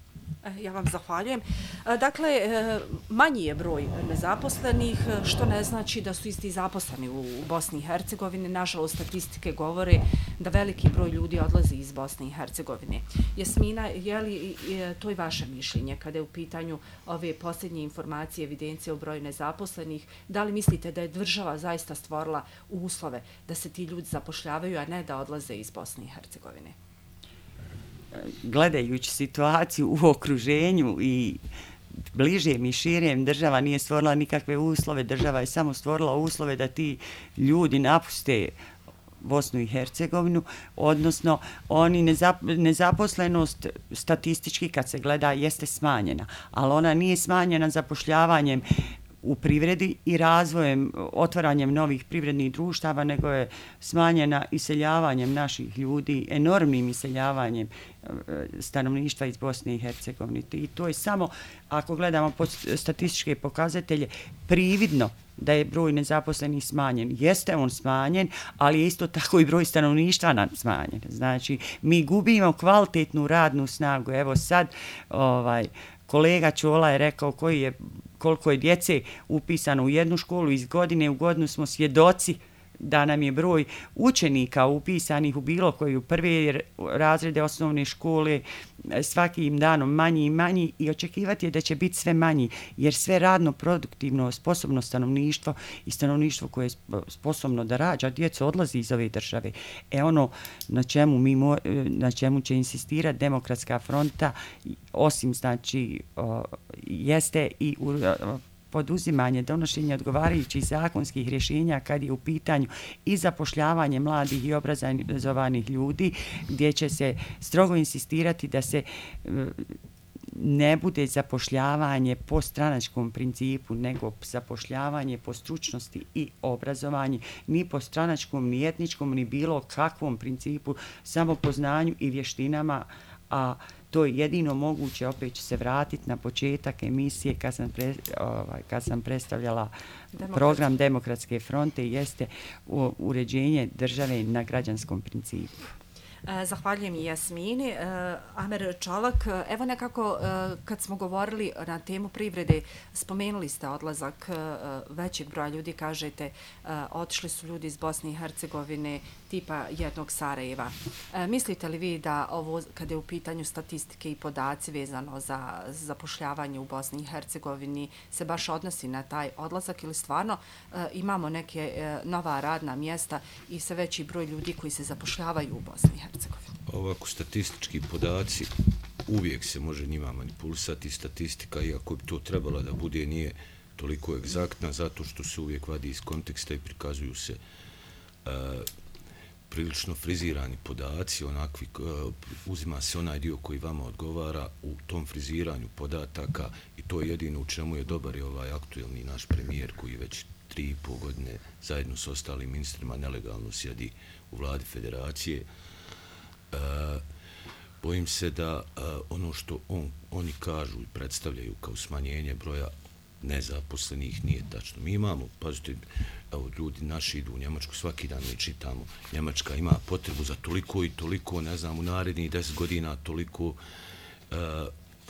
Ja vam zahvaljujem. Dakle, manji je broj nezaposlenih, što ne znači da su isti zaposleni u Bosni i Hercegovini. Nažalost, statistike govore da veliki broj ljudi odlazi iz Bosne i Hercegovine. Jasmina, je li to i vaše mišljenje kada je u pitanju ove posljednje informacije, evidencije o broju nezaposlenih? Da li mislite da je država zaista stvorila uslove da se ti ljudi zapošljavaju, a ne da odlaze iz Bosne i Hercegovine? Gledajući situaciju u okruženju i bližem i širem, država nije stvorila nikakve uslove, država je samo stvorila uslove da ti ljudi napuste Bosnu i Hercegovinu, odnosno oni nezap, nezaposlenost statistički kad se gleda jeste smanjena, ali ona nije smanjena zapošljavanjem u privredi i razvojem, otvaranjem novih privrednih društava, nego je smanjena iseljavanjem naših ljudi, enormnim iseljavanjem stanovništva iz Bosne i Hercegovine. I to je samo, ako gledamo statističke pokazatelje, prividno da je broj nezaposlenih smanjen. Jeste on smanjen, ali je isto tako i broj stanovništva smanjen. Znači, mi gubimo kvalitetnu radnu snagu. Evo sad, ovaj, kolega Čola je rekao koji je, koliko je djece upisano u jednu školu, iz godine u godinu smo svjedoci da nam je broj učenika upisanih u bilo koju prve razrede osnovne škole svakim danom manji i manji i očekivati je da će biti sve manji, jer sve radno, produktivno, sposobno stanovništvo i stanovništvo koje je sposobno da rađa djecu odlazi iz ove države. E ono na čemu, mi mo, na čemu će insistirati Demokratska fronta, osim znači o, jeste i u, o, poduzimanje, donošenje odgovarajućih zakonskih rješenja kad je u pitanju i zapošljavanje mladih i obrazovanih ljudi, gdje će se strogo insistirati da se ne bude zapošljavanje po stranačkom principu, nego zapošljavanje po stručnosti i obrazovanju, ni po stranačkom, ni etničkom, ni bilo kakvom principu, samo po znanju i vještinama, a to je jedino moguće, opet ću se vratiti na početak emisije kad sam, pre, ovaj, kad sam predstavljala Demokrat. program Demokratske fronte, jeste uređenje države na građanskom principu. Zahvaljujem i Jasmini. Amer Čolak, evo nekako kad smo govorili na temu privrede, spomenuli ste odlazak većeg broja ljudi, kažete otišli su ljudi iz Bosne i Hercegovine tipa jednog Sarajeva. Mislite li vi da ovo, kada je u pitanju statistike i podaci vezano za zapošljavanje u Bosni i Hercegovini, se baš odnosi na taj odlazak ili stvarno imamo neke nova radna mjesta i sve veći broj ljudi koji se zapošljavaju u Bosni i Hercegovini? Ovako, statistički podaci, uvijek se može njima manipulisati, statistika, iako bi to trebala da bude, nije toliko egzaktna, zato što se uvijek vadi iz konteksta i prikazuju se uh, prilično frizirani podaci, onakvi, uh, uzima se onaj dio koji vama odgovara u tom friziranju podataka i to je jedino u čemu je dobar i ovaj aktuelni naš premijer koji već tri i pol godine zajedno s ostalim ministrima nelegalno sjedi u vladi federacije. Uh, bojim se da uh, ono što on, oni kažu i predstavljaju kao smanjenje broja nezaposlenih nije tačno. Mi imamo, pazite, evo, ljudi naši idu u Njemačku, svaki dan mi čitamo, Njemačka ima potrebu za toliko i toliko, ne znam, u narednih deset godina toliko, uh,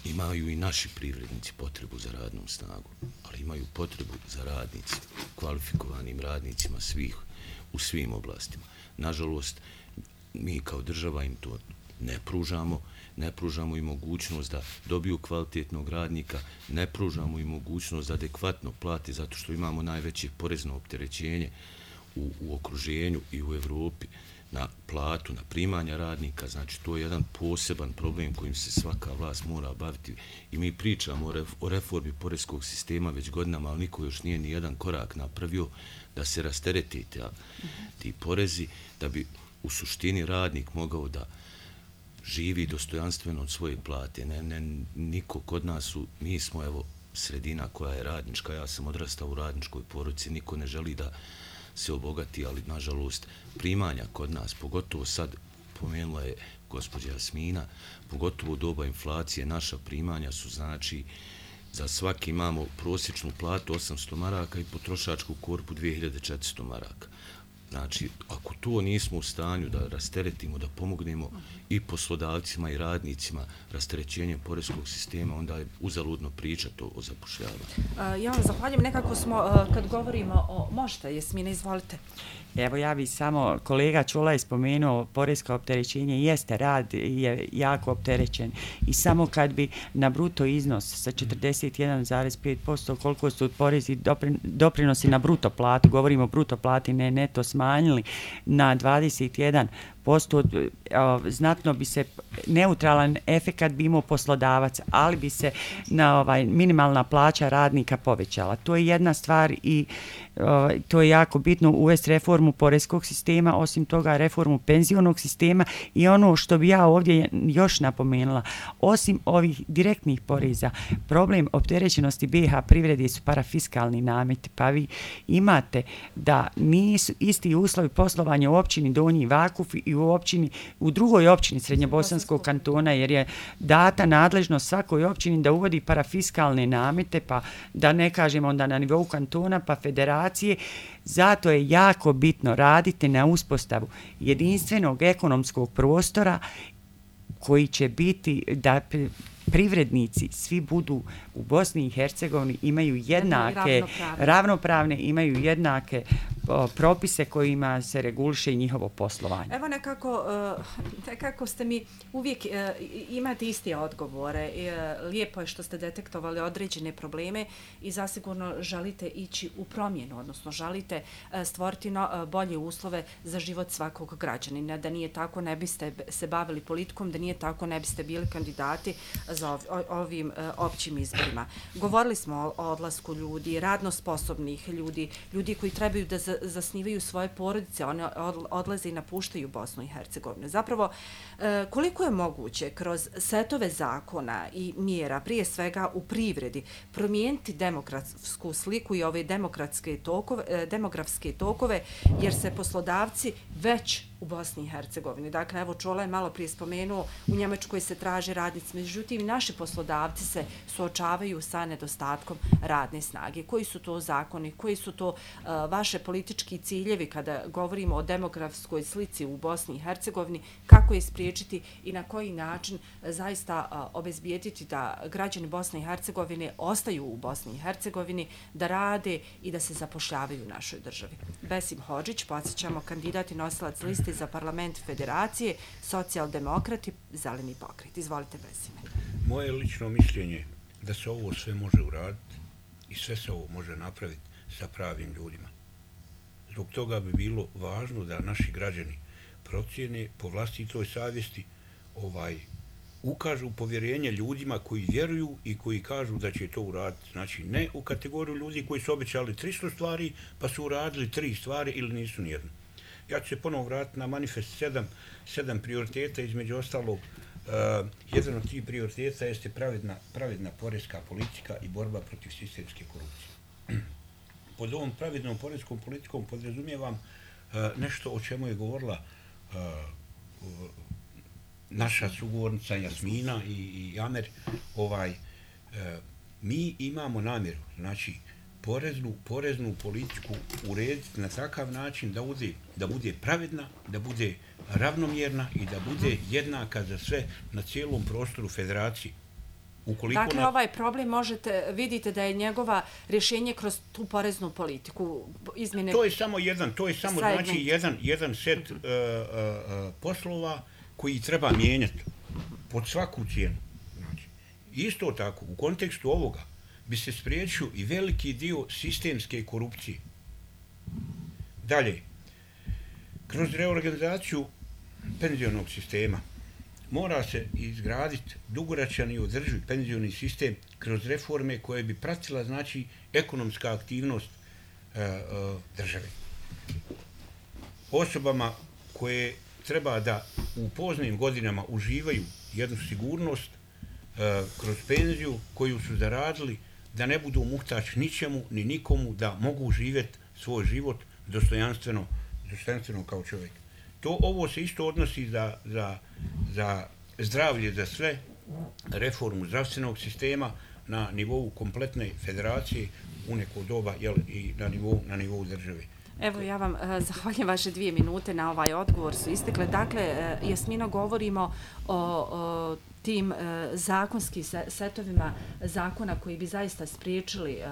imaju i naši privrednici potrebu za radnom snagom, ali imaju potrebu za radnicima, kvalifikovanim radnicima svih, u svim oblastima. Nažalost, mi kao država im to ne pružamo, ne pružamo i mogućnost da dobiju kvalitetnog radnika, ne pružamo i mogućnost da adekvatno plati, zato što imamo najveće porezno opterećenje u, u okruženju i u Evropi na platu, na primanja radnika. Znači, to je jedan poseban problem kojim se svaka vlast mora baviti i mi pričamo o, ref, o reformi porezkog sistema već godinama, ali niko još nije ni jedan korak napravio da se rastereti ta, ti porezi, da bi u suštini radnik mogao da živi dostojanstveno od svoje plate. Ne, ne, niko kod nas su, mi smo evo sredina koja je radnička, ja sam odrastao u radničkoj porodici, niko ne želi da se obogati, ali nažalost primanja kod nas, pogotovo sad, pomenula je gospođa Jasmina, pogotovo u doba inflacije, naša primanja su znači za svaki imamo prosječnu platu osamsto maraka i potrošačku korpu dvije hiljade četiristo maraka. Znači, ako to nismo u stanju da rasteretimo, da pomognemo i poslodavcima i radnicima rasterećenjem poreskog sistema, onda je uzaludno pričati o, o zapošljavanju. Uh, ja vam zahvaljujem. Nekako smo, uh, kad govorimo o... Možete, Jasmina, izvolite. Evo, ja bih samo, kolega Čola je spomenuo, poresko opterećenje jeste, rad je jako opterećen i samo kad bi na bruto iznos sa četrdeset jedan zarez pet posto koliko su porezi doprinosi na bruto platu, govorimo o bruto plati, ne neto, smanjili na dvadeset jedan posto, znatno bi se neutralan efekat bi imao poslodavac, ali bi se na ovaj minimalna plaća radnika povećala. To je jedna stvar i ovaj, to je jako bitno uvesti reformu poreskog sistema, osim toga reformu penzionog sistema i ono što bi ja ovdje još napomenula, osim ovih direktnih poreza, problem opterećenosti B iH privrede su parafiskalni nameti, pa vi imate da nisu isti uslovi poslovanja u općini Donji Vakuf i u općini, u drugoj općini Srednjobosanskog kantona, jer je data nadležnost svakoj općini da uvodi parafiskalne namete, pa da ne kažemo onda na nivou kantona, pa federacije. Zato je jako bitno raditi na uspostavu jedinstvenog ekonomskog prostora koji će biti da privrednici svi budu u Bosni i Hercegovini, imaju jednake, ravnopravne, imaju jednake propise kojima se reguliše njihovo poslovanje. Evo nekako, nekako ste mi uvijek imate iste odgovore. Lijepo je što ste detektovali određene probleme i zasigurno želite ići u promjenu, odnosno želite stvoriti bolje uslove za život svakog građanina. Da nije tako, ne biste se bavili politikom, da nije tako, ne biste bili kandidati za ovim općim izborima. Govorili smo o odlasku ljudi, radno sposobnih ljudi, ljudi koji trebaju da zasnivaju svoje porodice, one odlaze i napuštaju Bosnu i Hercegovinu. Zapravo, koliko je moguće kroz setove zakona i mjera, prije svega u privredi, promijeniti demokratsku sliku i ove demokratske tokove, demografske tokove, jer se poslodavci već u Bosni i Hercegovini. Dakle, evo Čola je malo prije spomenuo, u Njemačkoj se traže radnici, međutim, naši poslodavci se suočavaju sa nedostatkom radne snage. Koji su to zakoni, koji su to uh, vaše politički ciljevi kada govorimo o demografskoj slici u Bosni i Hercegovini, kako je spriječiti i na koji način zaista uh, obezbijediti da građani Bosne i Hercegovine ostaju u Bosni i Hercegovini, da rade i da se zapošljavaju u našoj državi. Besim Hodžić, podsjećamo, kandidat i nosilac liste za parlament Federacije, socijaldemokrati, zeleni pokret. Izvolite, Besime. Moje lično mišljenje da se ovo sve može uraditi i sve se ovo može napraviti sa pravim ljudima. Zbog toga bi bilo važno da naši građani procijene po vlastitoj savjesti, ovaj, ukažu povjerenje ljudima koji vjeruju i koji kažu da će to uraditi. Znači, ne u kategoriju ljudi koji su obećali tristo stvari, pa su uradili tri stvari ili nisu nijedno. Ja ću se ponovo vratiti na manifest sedam, sedam prioriteta, između ostalog, uh, jedan od tih prioriteta jeste pravedna, pravedna porezka politika i borba protiv sistemske korupcije. Pod ovom pravednom porezkom politikom podrazumijevam uh, nešto o čemu je govorila uh, uh, naša sugovornica Jasmina i, i Amer. Ovaj, uh, mi imamo namjeru, znači, poreznu, poreznu politiku urediti na takav način da bude, da bude pravedna, da bude ravnomjerna i da bude jednaka za sve na cijelom prostoru federacije. Ukoliko dakle, na... ovaj problem možete, vidite da je njegova rješenje kroz tu poreznu politiku. Izmjene... To je samo jedan, to je samo znači jedan, jedan set uh, uh, poslova koji treba mijenjati pod svaku cijenu. Znači, isto tako, u kontekstu ovoga, bi se spriječio i veliki dio sistemske korupcije. Dalje, kroz reorganizaciju penzionog sistema mora se izgraditi dugoročan i održiv penzioni sistem kroz reforme koje bi pratila, znači, ekonomska aktivnost e, e, države. Osobama koje treba da u poznim godinama uživaju jednu sigurnost e, kroz penziju koju su zaradili, da ne budu muhtač ničemu, ni nikomu, da mogu živjeti svoj život dostojanstveno, dostojanstveno kao čovjek. To ovo se isto odnosi za, za, za zdravlje za sve, reformu zdravstvenog sistema na nivou kompletne federacije u neko doba, jel, i na nivou, na nivou države. Evo, ja vam uh, zahvaljujem, vaše dvije minute na ovaj odgovor su istekle. Dakle, uh, Jasmina, govorimo o, o tim uh, zakonskim setovima zakona koji bi zaista spriječili uh,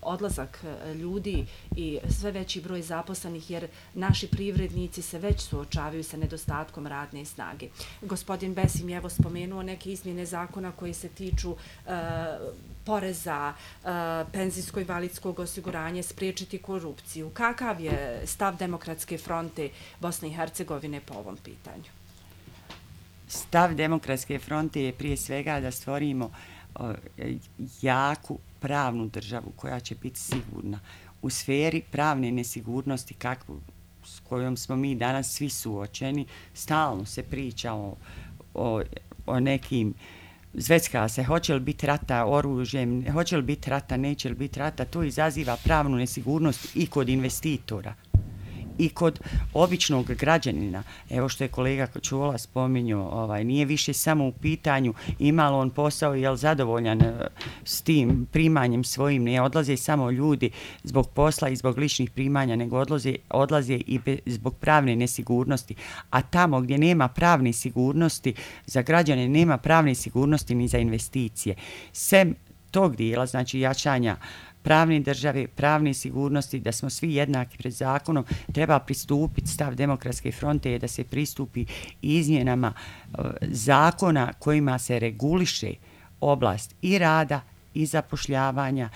odlazak uh, ljudi i sve veći broj zaposlenih, jer naši privrednici se već suočavaju sa nedostatkom radne snage. Gospodin Besim je evo spomenuo neke izmjene zakona koji se tiču uh, poreza, uh, penzijsko-invalidskog osiguranja, spriječiti korupciju. Kakav je stav Demokratske fronte Bosne i Hercegovine po ovom pitanju? Stav Demokratske fronte je prije svega da stvorimo o, jaku pravnu državu koja će biti sigurna. U sferi pravne nesigurnosti kakvu, s kojom smo mi danas svi suočeni, stalno se priča o, o, o nekim, zvecka se, hoće li biti rata oružjem, hoće li biti rata, neće li biti rata, to izaziva pravnu nesigurnost i kod investitora i kod običnog građanina. Evo što je kolega Čola spominjao, ovaj, nije više samo u pitanju ima li on posao i je li zadovoljan s tim primanjem svojim. Ne odlaze samo ljudi zbog posla i zbog ličnih primanja, nego odlaze, odlaze i be, zbog pravne nesigurnosti. A tamo gdje nema pravne sigurnosti za građane, nema pravne sigurnosti ni za investicije. Sem tog dijela, znači jačanja pravne države, pravne sigurnosti, da smo svi jednaki pred zakonom, treba pristupiti, stav Demokratske fronte je da se pristupi izmjenama uh, zakona kojima se reguliše oblast i rada i zapošljavanja,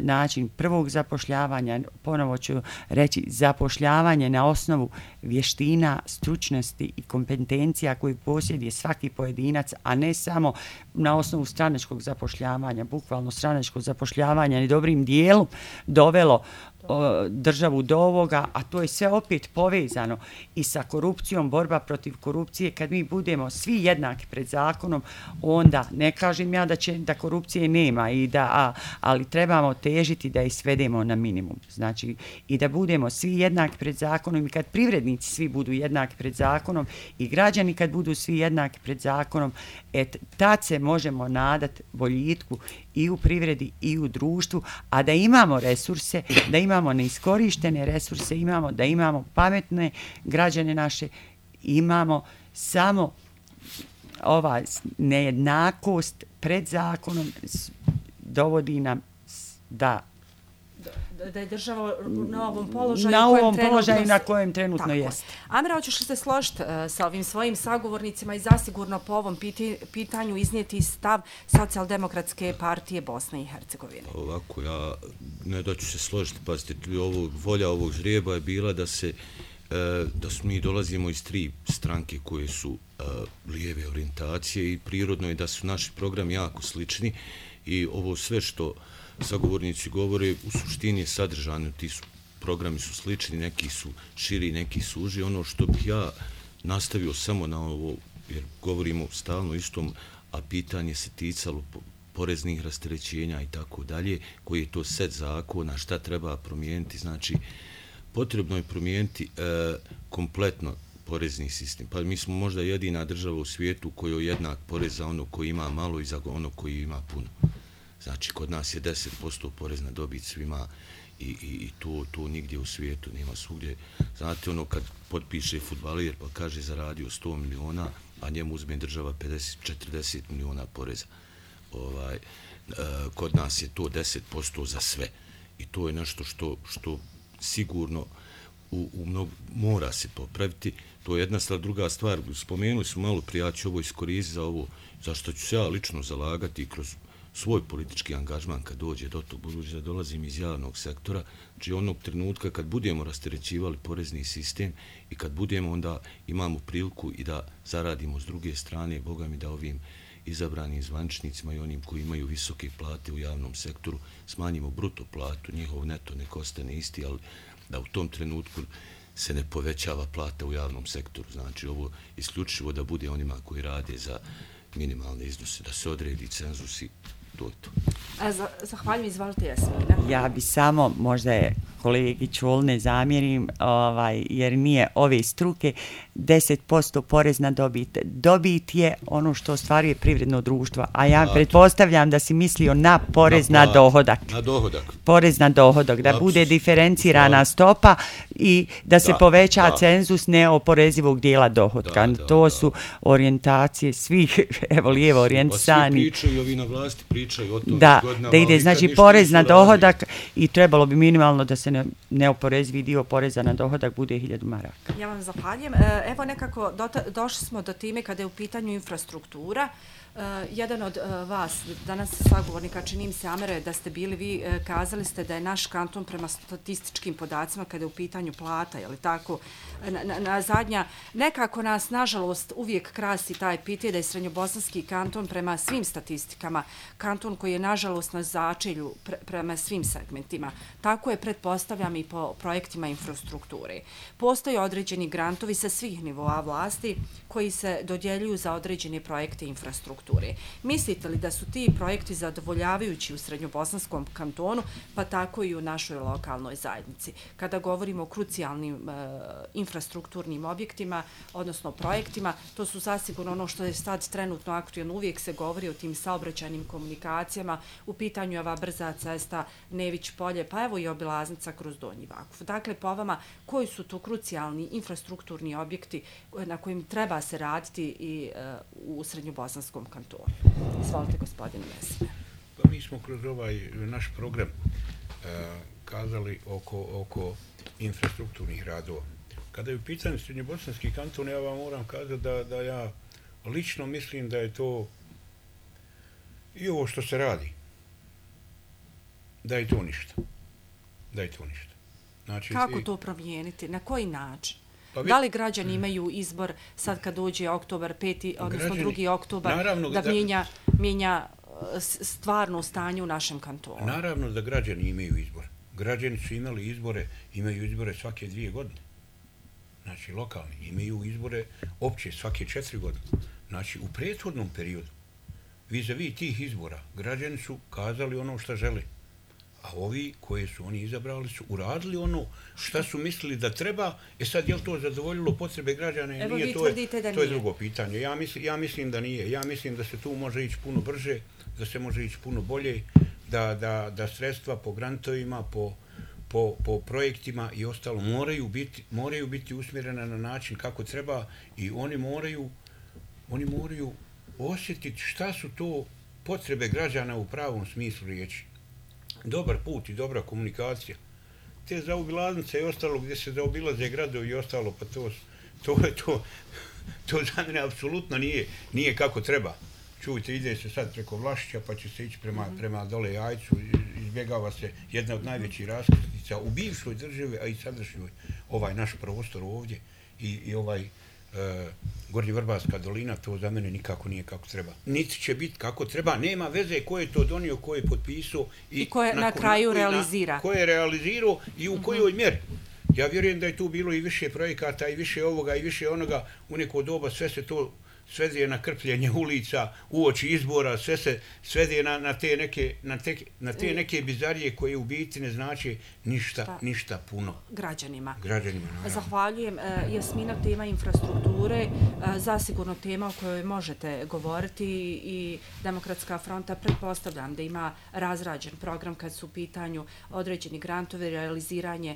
način prvog zapošljavanja, ponovo ću reći, zapošljavanje na osnovu vještina, stručnosti i kompetencija koju posjeduje svaki pojedinac, a ne samo na osnovu stranačkog zapošljavanja. Bukvalno stranačko zapošljavanje je dobrim dijelom dovelo o, državu do ovoga, a to je sve opet povezano i sa korupcijom, borba protiv korupcije. Kad mi budemo svi jednaki pred zakonom, onda ne kažem ja da će da korupcije nema i da a, ali trebamo težiti da je svedemo na minimum. Znači i da budemo svi jednaki pred zakonom i kad privrednici svi budu jednaki pred zakonom i građani kad budu svi jednaki pred zakonom, et tad se možemo nadati boljitku i u privredi i u društvu, a da imamo resurse, da imamo neiskorištene resurse, imamo da imamo pametne građane naše, imamo samo ova nejednakost pred zakonom dovodi nam da da je država na ovom položaju na ovom kojem položaju na kojem trenutno jest. Amira, hoćeš li se složiti uh, sa ovim svojim sagovornicima i zasigurno po ovom piti, pitanju iznijeti stav Socijaldemokratske partije Bosne i Hercegovine? Ovako, ja ne da ću se složiti, pazite, ovo, volja ovog žrijeba je bila da se da su mi dolazimo iz tri stranke koje su lijeve orijentacije i prirodno je da su naši programi jako slični i ovo sve što sagovornici govore u suštini je sadržano, ti su, programi su slični, neki su širi, neki su uži. Ono što bih ja nastavio samo na ovo, jer govorimo stalno istom, a pitanje se ticalo poreznih rasterećenja i tako dalje, koji je to set zakona, šta treba promijeniti, znači potrebno je promijeniti e, kompletno porezni sistem. Pa mi smo možda jedina država u svijetu koja je jednak porez za ono koji ima malo i za ono koji ima puno. Znači, kod nas je deset posto porez na dobit svima i, i, i to, to nigdje u svijetu nema svugdje. Znate, ono kad potpiše fudbaler pa kaže zaradio sto miliona, a njemu uzme država pedeset četrdeset miliona poreza. Ovaj, e, kod nas je to deset posto za sve. I to je nešto što, što sigurno u, u mnogo, mora se popraviti. To je jedna stvar. Druga stvar, spomenuli smo malo prije, ja ću ovo iskoristiti za ovo, zašto ću se ja lično zalagati kroz svoj politički angažman kad dođe do tog, budući da dolazim iz javnog sektora, znači onog trenutka kad budemo rasterećivali porezni sistem i kad budemo onda imamo priliku i da zaradimo s druge strane, Boga mi da ovim izabranim zvaničnicima i onim koji imaju visoke plate u javnom sektoru smanjimo bruto platu, njihov neto nek ostane isti, ali da u tom trenutku se ne povećava plata u javnom sektoru. Znači ovo isključivo da bude onima koji rade za minimalne iznose, da se odredi cenzus i to je to. Zahvaljujem, izvalite Jasmina. Ja bi samo, možda je kolegi Čul ne zamjerim, ovaj, jer nije ove struke, deset posto porez na dobit. Dobit je ono što ostvaruje privredno društvo, a ja Plato. pretpostavljam da si mislio na porez na, na dohodak. Na dohodak. Porez na dohodak, da Lapsus. bude diferencirana da. stopa i da se da. poveća da. cenzus neoporezivog dijela dohodka. Da, da, to da. su orijentacije svih, evo lijevo orijentisani. Pa svi pričaju, ovi na vlasti pričaju o tom. Da, da ide, znači, porez na dohodak i trebalo bi minimalno da se ne, neoporezivi dio poreza na dohodak bude hiljadu maraka. Ja vam zahvaljujem. Evo nekako do, došli smo do time kada je u pitanju infrastruktura. Uh, jedan od uh, vas, danas sagovornika, čini mi se, Amere, da ste bili vi, uh, kazali ste da je naš kanton prema statističkim podacima kada je u pitanju plata, je li tako, na, na, na zadnja, nekako nas, nažalost, uvijek krasi taj pitanje da je Srednjobosanski kanton prema svim statistikama, kanton koji je, nažalost, na začelju pre, prema svim segmentima. Tako je, pretpostavljam, i po projektima infrastrukture. Postoje određeni grantovi sa svih nivoa vlasti koji se dodjeljuju za određene projekte infrastrukture. Mislite li da su ti projekti zadovoljavajući u Srednjobosanskom kantonu, pa tako i u našoj lokalnoj zajednici? Kada govorimo o krucijalnim e, infrastrukturnim objektima, odnosno projektima, to su zasigurno ono što je sad trenutno aktualno. Uvijek se govori o tim saobraćajnim komunikacijama, u pitanju je ova brza cesta Nević-Polje, pa evo i obilaznica kroz Donji Vakuf. Dakle, po vama, koji su to krucijalni infrastrukturni objekti na kojim treba se raditi i e, u Srednjobosanskom kantonu? Izvolite, gospodine Mesime. Pa mi smo kroz ovaj naš program uh, kazali oko, oko infrastrukturnih radova. Kada je u pitanju Srednjobosanski kanton, ja vam moram kazati da, da ja lično mislim da je to i ovo što se radi, da je to ništa. Da je to ništa. Znači, kako i, to promijeniti? Na koji način? Pa vi, da li građani imaju izbor sad kad dođe oktobar peti, odnosno građani, drugi oktobar, naravno, da, da mijenja, mijenja stvarno stanje u našem kantonu? Naravno da građani imaju izbor. Građani su imali izbore, imaju izbore svake dvije godine. Znači, lokalni imaju izbore opće svake četiri godine. Znači, u prethodnom periodu, vis-a-vis tih izbora, građani su kazali ono što žele. A ovi koje su oni izabrali su uradili ono šta su mislili da treba. E sad, je li to zadovoljilo potrebe građana? Evo, nije, vi to je, tvrdite da to je nije. drugo pitanje. Ja mislim, ja mislim da nije. Ja mislim da se tu može ići puno brže, da se može ići puno bolje, da, da, da sredstva po grantovima, po, po, po projektima i ostalo moraju biti, moraju biti usmjerena na način kako treba i oni moraju, oni moraju osjetiti šta su to potrebe građana u pravom smislu riječi. Dobar put i dobra komunikacija. Te zaobilaznice i ostalo gdje se zaobilaze gradovi i ostalo, pa to, to je to, to za mene apsolutno nije, nije kako treba. Čujte, ide se sad preko Vlašića pa će se ići prema, mm-hmm. prema dole Jajcu, izbjegava se jedna od najvećih raskrstica u bivšoj državi, a i sadašnjoj ovaj naš prostor ovdje i, i ovaj Uh, Gornji Vrbarska dolina, to za mene nikako nije kako treba. Niti će biti kako treba, nema veze ko je to donio, ko je potpisao i, I ko je na, na kraju na, realizira. Ko je realizirao i u uh-huh. kojoj mjeri. Ja vjerujem da je tu bilo i više projekata i više ovoga i više onoga. U neko doba sve se to svede na krpljenje ulica uoči izbora, sve se svede na, na, te, neke, na, te, na te neke bizarije koje u biti ne znači ništa, Šta? ništa puno. Građanima. Građanima, naravno. Zahvaljujem. Jasmina, tema infrastrukture, zasigurno tema o kojoj možete govoriti i Demokratska fronta, pretpostavljam da ima razrađen program kad su u pitanju određeni grantovi, realiziranje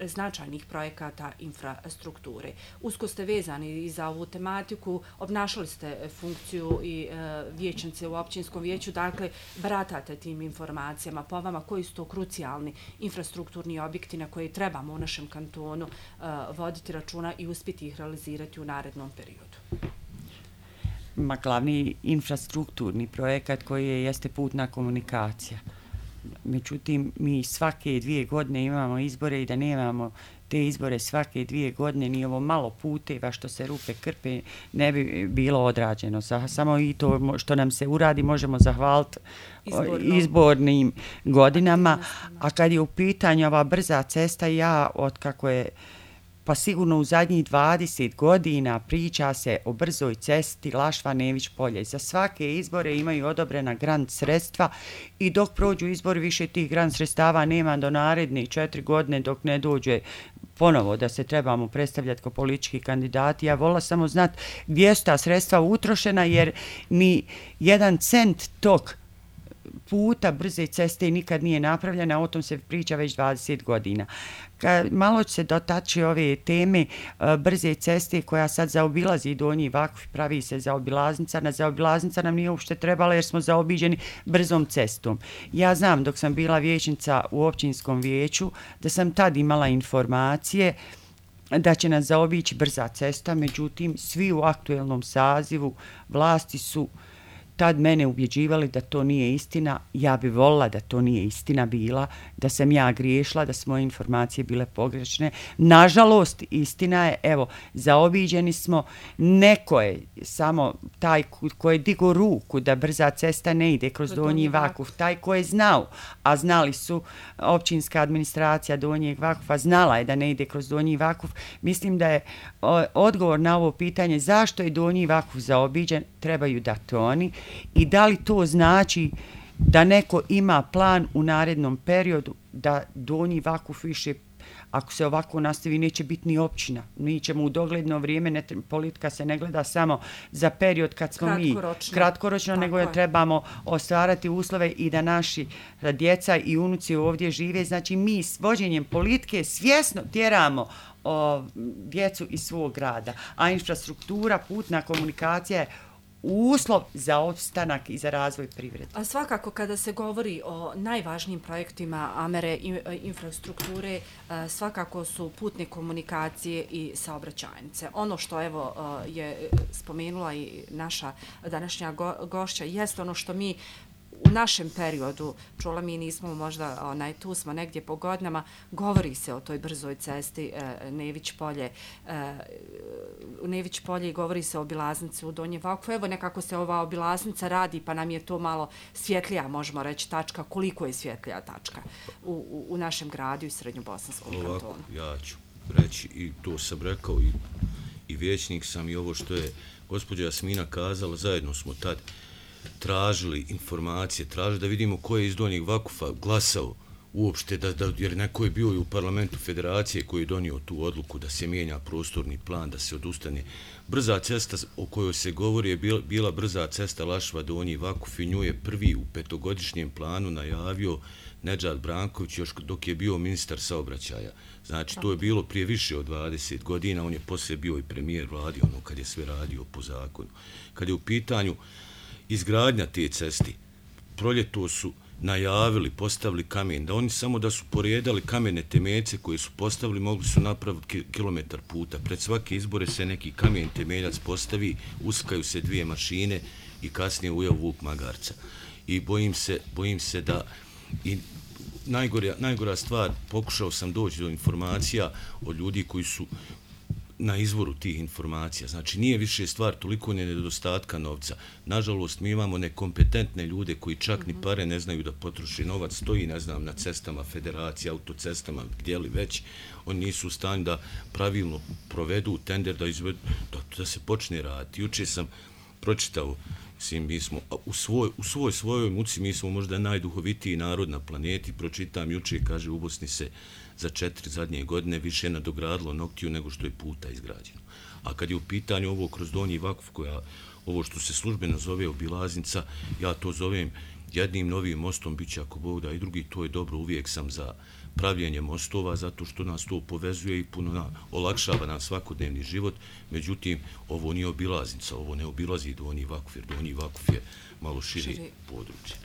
značajnih projekata infrastrukture. Usko ste vezani i za ovu tematiku, obnašali ste funkciju i e, vijećnice u općinskom vijeću, dakle, baratate tim informacijama po vama koji su to krucijalni infrastrukturni objekti na koje trebamo u našem kantonu e, voditi računa i uspjeti ih realizirati u narednom periodu. Ma, glavni infrastrukturni projekat koji je jeste putna komunikacija. Međutim, mi svake dvije godine imamo izbore i da nemamo te izbore svake dvije godine, ni ovo malo puteva što se rupe krpe ne bi bilo odrađeno. Samo i to što nam se uradi možemo zahvaliti Izborno. izbornim godinama. A kad je u pitanju ova brza cesta, ja od kako je pa sigurno u zadnjih dvadeset godina priča se o brzoj cesti Lašva-Nević polje. Za svake izbore imaju odobrena grant sredstva i dok prođu izbori više tih grant sredstava nema do naredne četiri godine dok ne dođe ponovo da se trebamo predstavljati kao politički kandidati. Ja vola samo znati gdje su ta sredstva utrošena jer ni jedan cent tog puta brze ceste nikad nije napravljena, o tom se priča već dvadeset godina. Kad malo se dotači ove teme brze ceste koja sad zaobilazi Donji Vakuf, pravi se zaobilaznica, na zaobilaznica nam nije uopšte trebala jer smo zaobiđeni brzom cestom. Ja znam dok sam bila vijećnica u općinskom vijeću da sam tad imala informacije da će nas zaobići brza cesta, međutim svi u aktuelnom sazivu vlasti su tad mene ubjeđivali da to nije istina. Ja bi volila da to nije istina bila, da sam ja griješila, da su moje informacije bile pogrešne. Nažalost, istina je, evo, zaobiđeni smo, neko je samo taj ko je digo ruku da brza cesta ne ide kroz Donji Vakuf, taj ko je znao, a znali su općinska administracija Donjeg Vakufa, znala je da ne ide kroz Donji Vakuf. Mislim da je odgovor na ovo pitanje zašto je Donji Vakuf zaobiđen, trebaju dati oni. I da li to znači da neko ima plan u narednom periodu da Donji Vakuf više, ako se ovako nastavi, neće biti ni općina. Mi ćemo u dogledno vrijeme, ne, politika se ne gleda samo za period kad smo kratkoročno. mi kratkoročno, nego je trebamo ostvarati uslove i da naši djeca i unuci ovdje žive. Znači mi s vođenjem politike svjesno tjeramo o, djecu iz svog grada. A infrastruktura, putna komunikacija je uslov za opstanak i za razvoj privrede. A svakako kada se govori o najvažnijim projektima Amere infrastrukture, svakako su putne komunikacije i saobraćajnice. Ono što evo je spomenula i naša današnja gošća jeste ono što mi u našem periodu, čula mi nismo možda, onaj, tu smo negdje po godinama, govori se o toj brzoj cesti e, Nević polje, e, u Nević polje i govori se o obilaznici u Donjem Vakufu. Evo nekako se ova obilaznica radi pa nam je to malo svjetlija, možemo reći, tačka. Koliko je svjetlija tačka u, u, u našem gradu i Srednjobosanskom kantonu? Ovako, ja ću reći i to sam rekao i, i vijećnik sam i ovo što je gospođa Jasmina kazala, zajedno smo tad tražili informacije, tražili da vidimo ko je iz Donjeg Vakufa glasao uopšte, da, da, jer neko je bio i u parlamentu federacije koji je donio tu odluku da se mijenja prostorni plan, da se odustane. Brza cesta o kojoj se govori je bila, bila brza cesta Lašva-Donji Vakuf i nju je prvi u petogodišnjem planu najavio Nedžad Branković još dok je bio ministar saobraćaja. Znači, to je bilo prije više od dvadeset godina, on je poslije bio i premijer vladi, ono kad je sve radio po zakonu. Kad je u pitanju izgradnja te ceste, proljeto su najavili, postavili kamen, da oni samo da su poredali kamene temeljce koje su postavili, mogli su napraviti kilometar puta. Pred svake izbore se neki kamen temeljac postavi, uskaju se dvije mašine i kasnije ujeo vuk magarca. I bojim se, bojim se da i najgora, najgora stvar, pokušao sam doći do informacija od ljudi koji su na izvoru tih informacija. Znači, nije više stvar toliko nedostatka novca. Nažalost, mi imamo nekompetentne ljude koji čak ni pare ne znaju da potroši novac. Stoji, ne znam, na cestama federacije, autocestama, gdje li već. Oni nisu u stanju da pravilno provedu tender, da, izvedu, da, da se počne raditi. Juče sam pročitao, mislim, mi smo u svoj, u svoj svojoj muci, mi smo možda najduhovitiji narod na planeti. Pročitam juče, kaže, u Bosni se za četiri zadnje godine više nadogradilo noktiju nego što je puta izgrađeno. A kad je u pitanju ovo kroz Donji Vakuf, koja, ovo što se službeno zove obilaznica, ja to zovem jednim novim mostom, bit će ako Bog da i drugi, to je dobro, uvijek sam za pravljenje mostova, zato što nas to povezuje i puno na, olakšava nam svakodnevni život. Međutim, ovo nije obilaznica, ovo ne obilazi Donji Vakuf, jer Donji Vakuf je malo širi, širi. područje.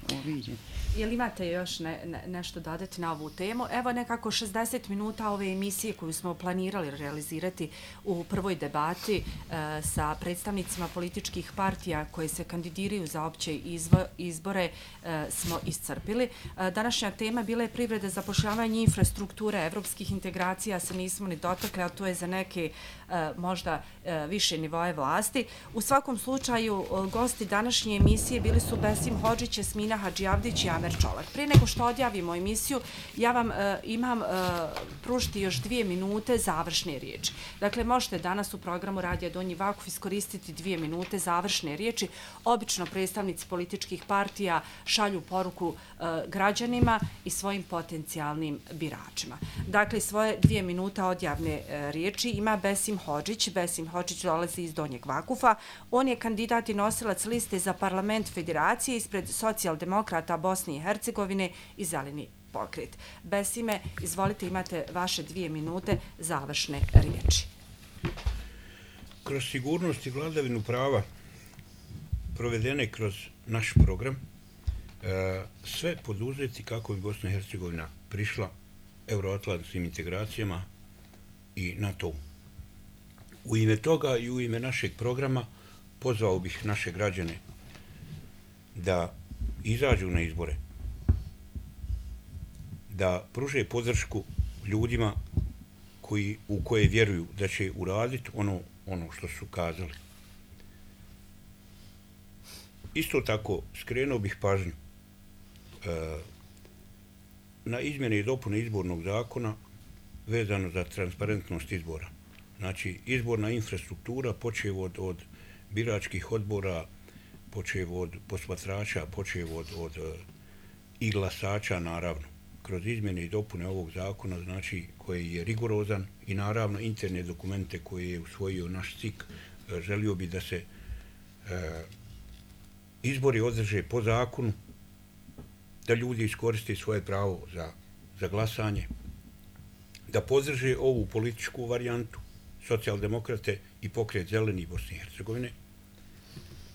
Jel imate još ne, ne, nešto dodati na ovu temu? Evo nekako šezdeset minuta ove emisije koju smo planirali realizirati u prvoj debati e, sa predstavnicima političkih partija koje se kandidiraju za opće izvo, izbore e, smo iscrpili. E, današnja tema bila je privreda, zapošljavanje, infrastrukture, evropskih integracija se nismo ni dotakli, a to je za neke e, možda e, više nivoje vlasti. U svakom slučaju, e, gosti današnje emisije bili su Besim Hodžić, Jasmina Hadžijavdić i Amer Čolak. Prije nego što odjavimo emisiju, ja vam e, imam e, pružiti još dvije minute završne riječi. Dakle, možete danas u programu Radija Donji Vakuf iskoristiti dvije minute završne riječi. Obično predstavnici političkih partija šalju poruku e, građanima i svojim potencijalnim biračima. Dakle, svoje dvije minuta odjavne e, riječi ima Besim Hodžić. Besim Hodžić dolazi iz Donjeg Vakufa. On je kandidat i nosilac liste za parlament federacije ispred socijaldemokrata Bosne i Hercegovine i Zeleni pokret. Besime, izvolite, imate vaše dvije minute završne riječi. Kroz sigurnost i vladavinu prava provedene kroz naš program, sve poduzeti kako bi Bosna i Hercegovina prišla euroatlantskim integracijama i NATO. U ime toga i u ime našeg programa pozvao bih naše građane da izađu na izbore, da pruže podršku ljudima koji, u koje vjeruju da će uraditi ono, ono što su kazali. Isto tako, skrenuo bih pažnju e, na izmjene i dopune izbornog zakona vezano za transparentnost izbora. Znači, izborna infrastruktura počev od, od biračkih odbora, počev od posmatrača, počev od, od i glasača, naravno. Kroz izmjene i dopune ovog zakona, znači, koji je rigorozan i naravno interne dokumente koje je usvojio naš C I K, želio bi da se e, izbori održe po zakonu, da ljudi iskoriste svoje pravo za, za glasanje, da podrže ovu političku varijantu, socijaldemokrate i pokret Zeleni Bosne i Hercegovine,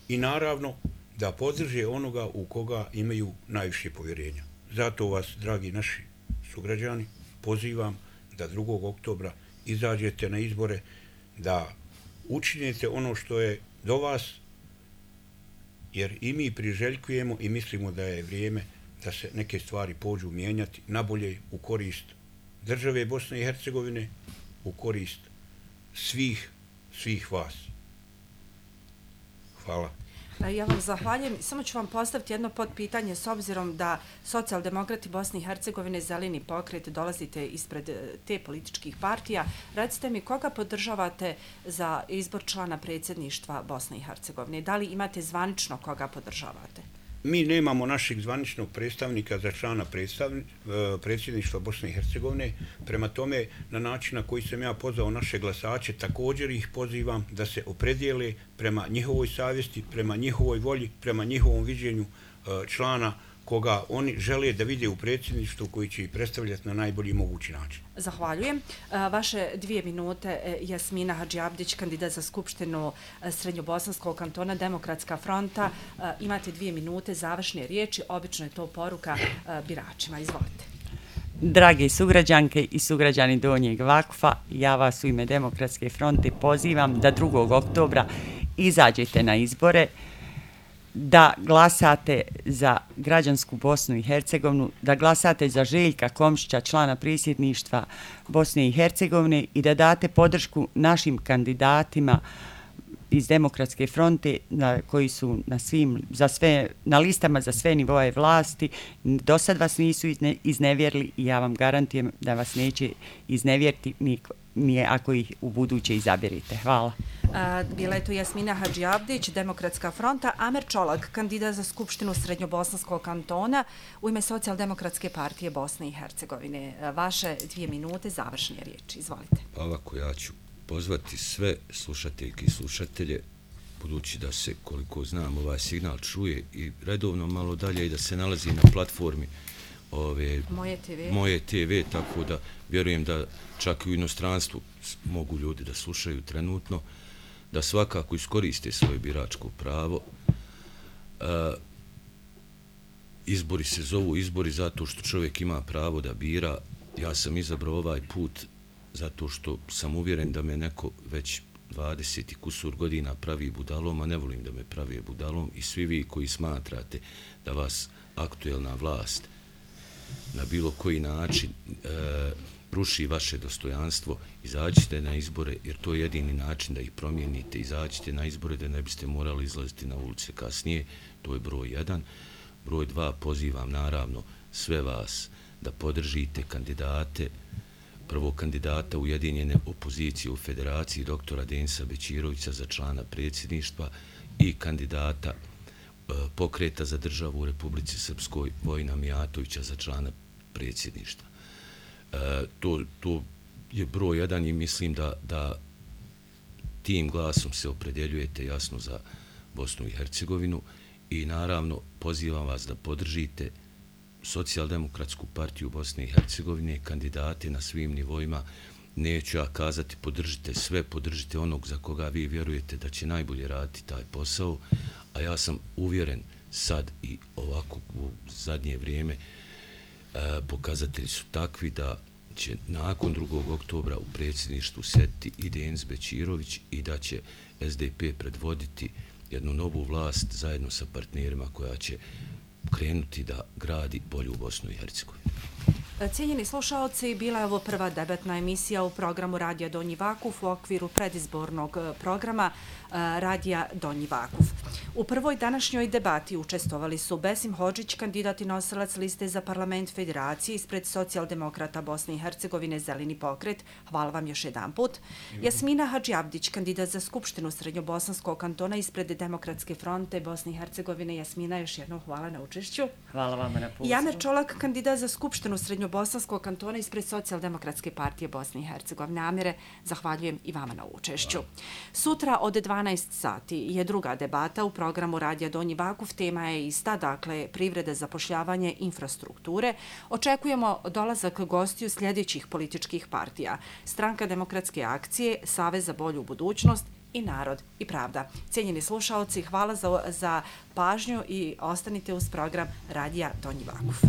i naravno da podrže onoga u koga imaju najviše povjerenja. Zato vas, dragi naši sugrađani, pozivam da drugog oktobra izađete na izbore, da učinite ono što je do vas, jer i mi priželjkujemo i mislimo da je vrijeme da se neke stvari pođu mijenjati nabolje u korist države Bosne i Hercegovine, u korist svih, svih vas. Hvala. Ja vam zahvaljujem. Samo ću vam postaviti jedno podpitanje s obzirom da socijaldemokrati Bosne i Hercegovine, Zeleni pokret, dolazite ispred te političkih partija. Recite mi koga podržavate za izbor člana predsjedništva Bosne i Hercegovine? Da li imate zvanično koga podržavate? Mi nemamo našeg zvaničnog predstavnika za člana predsjedništva Bosne i Hercegovine. Prema tome, na način na koji sam ja pozvao naše glasače, također ih pozivam da se opredijele prema njihovoj savjesti, prema njihovoj volji, prema njihovom viđenju člana koga oni žele da vide u predsjedništvu koji će ih predstavljati na najbolji mogući način. Zahvaljujem. Vaše dvije minute, Jasmina Hadžiabdić, kandidat za Skupštinu Srednjobosanskog kantona, Demokratska fronta. Imate dvije minute, završne riječi, obično je to poruka biračima. Izvolite. Drage sugrađanke i sugrađani Donjeg Vakfa, ja vas u ime Demokratske fronte pozivam da drugog oktobra izađete na izbore, da glasate za građansku Bosnu i Hercegovinu, da glasate za Željka Komšića, člana predsjedništva Bosne i Hercegovine i da date podršku našim kandidatima iz Demokratske fronte na, koji su na svim, za sve, na listama za sve nivoje vlasti. Do sad vas nisu izne, iznevjerili i ja vam garantujem da vas neće iznevjeriti ni, ni ako ih u buduće izaberite. Hvala. Bila je to Jasmina Hadžiabdić, Demokratska fronta. Amer Čolak, kandidat za Skupštinu Srednjobosanskog kantona u ime Socijaldemokratske partije Bosne i Hercegovine. Vaše dvije minute, završne riječi. Izvolite. Pa ovako, ja ću pozvati sve slušateljke i slušatelje, budući da se, koliko znam, ovaj signal čuje i redovno malo dalje i da se nalazi na platformi ove Moje te ve. Moje te ve, tako da vjerujem da čak i u inostranstvu mogu ljudi da slušaju trenutno, da svakako iskoriste svoje biračko pravo. E, izbori se zovu izbori zato što čovjek ima pravo da bira. Ja sam izabrao ovaj put zato što sam uvjeren da me neko već dvadeset i kusur godina pravi budalom, a ne volim da me pravi budalom, i svi vi koji smatrate da vas aktuelna vlast na bilo koji način e, ruši vaše dostojanstvo, izađite na izbore, jer to je jedini način da ih promijenite. Izađite na izbore da ne biste morali izlaziti na ulice kasnije, to je broj jedan. Broj dva, pozivam naravno sve vas da podržite kandidate, prvo kandidata Ujedinjene opozicije u Federaciji, doktora Denisa Bećirovića za člana predsjedništva i kandidata e, Pokreta za državu u Republici Srpskoj Vojina Mijatovića za člana predsjedništva. E, to, to je broj jedan i mislim da, da tim glasom se opredjeljujete jasno za Bosnu i Hercegovinu i naravno pozivam vas da podržite Socijaldemokratsku partiju Bosne i Hercegovine, kandidate na svim nivoima. Neću ja kazati podržite sve, podržite onog za koga vi vjerujete da će najbolje raditi taj posao, a ja sam uvjeren sad i ovako u zadnje vrijeme e, pokazatelji su takvi da će nakon drugog oktobra u predsjedništvu sjediti i Denis Bećirović i da će es de pe predvoditi jednu novu vlast zajedno sa partnerima koja će krenuti da gradi bolju Bosnu i Hercegovinu. Cijenjeni slušalci, bila je ovo prva debatna emisija u programu Radija Donji Vakuf u okviru predizbornog programa Radija Donji Vakuf. U prvoj današnjoj debati učestvovali su Besim Hodžić, kandidat i nosilac liste za parlament Federacije ispred Socijaldemokrata Bosne i Hercegovine Zeleni pokret. Hvala vam još jedan put. Jasmina Hadžiabdić, kandidat za Skupštinu Srednjobosanskog kantona ispred Demokratske fronte Bosne i Hercegovine. Jasmina, još jednom hvala na učešću. Hvala vama na pozivu. I Amer Čolak, kandidat za Skupštinu Srednjobosanskog kantona ispred Socijaldemokratske partije Bosne i Hercegovine. Amere, zahvaljujem i vama na učešću. Sutra od dvanaest sati je druga debata u programu Radija Donji Vakuf. Tema je ista, dakle, privreda, zapošljavanje, infrastrukture. Očekujemo dolazak gostiju sljedećih političkih partija: Stranka demokratske akcije, Savez za bolju budućnost i narod i pravda. Cijenjeni slušaoci, hvala za, za pažnju i ostanite uz program Radija Donji Vakuf.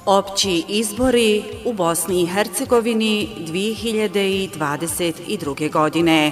Opći izbori u Bosni i Hercegovini dvije hiljade dvadeset druge. godine.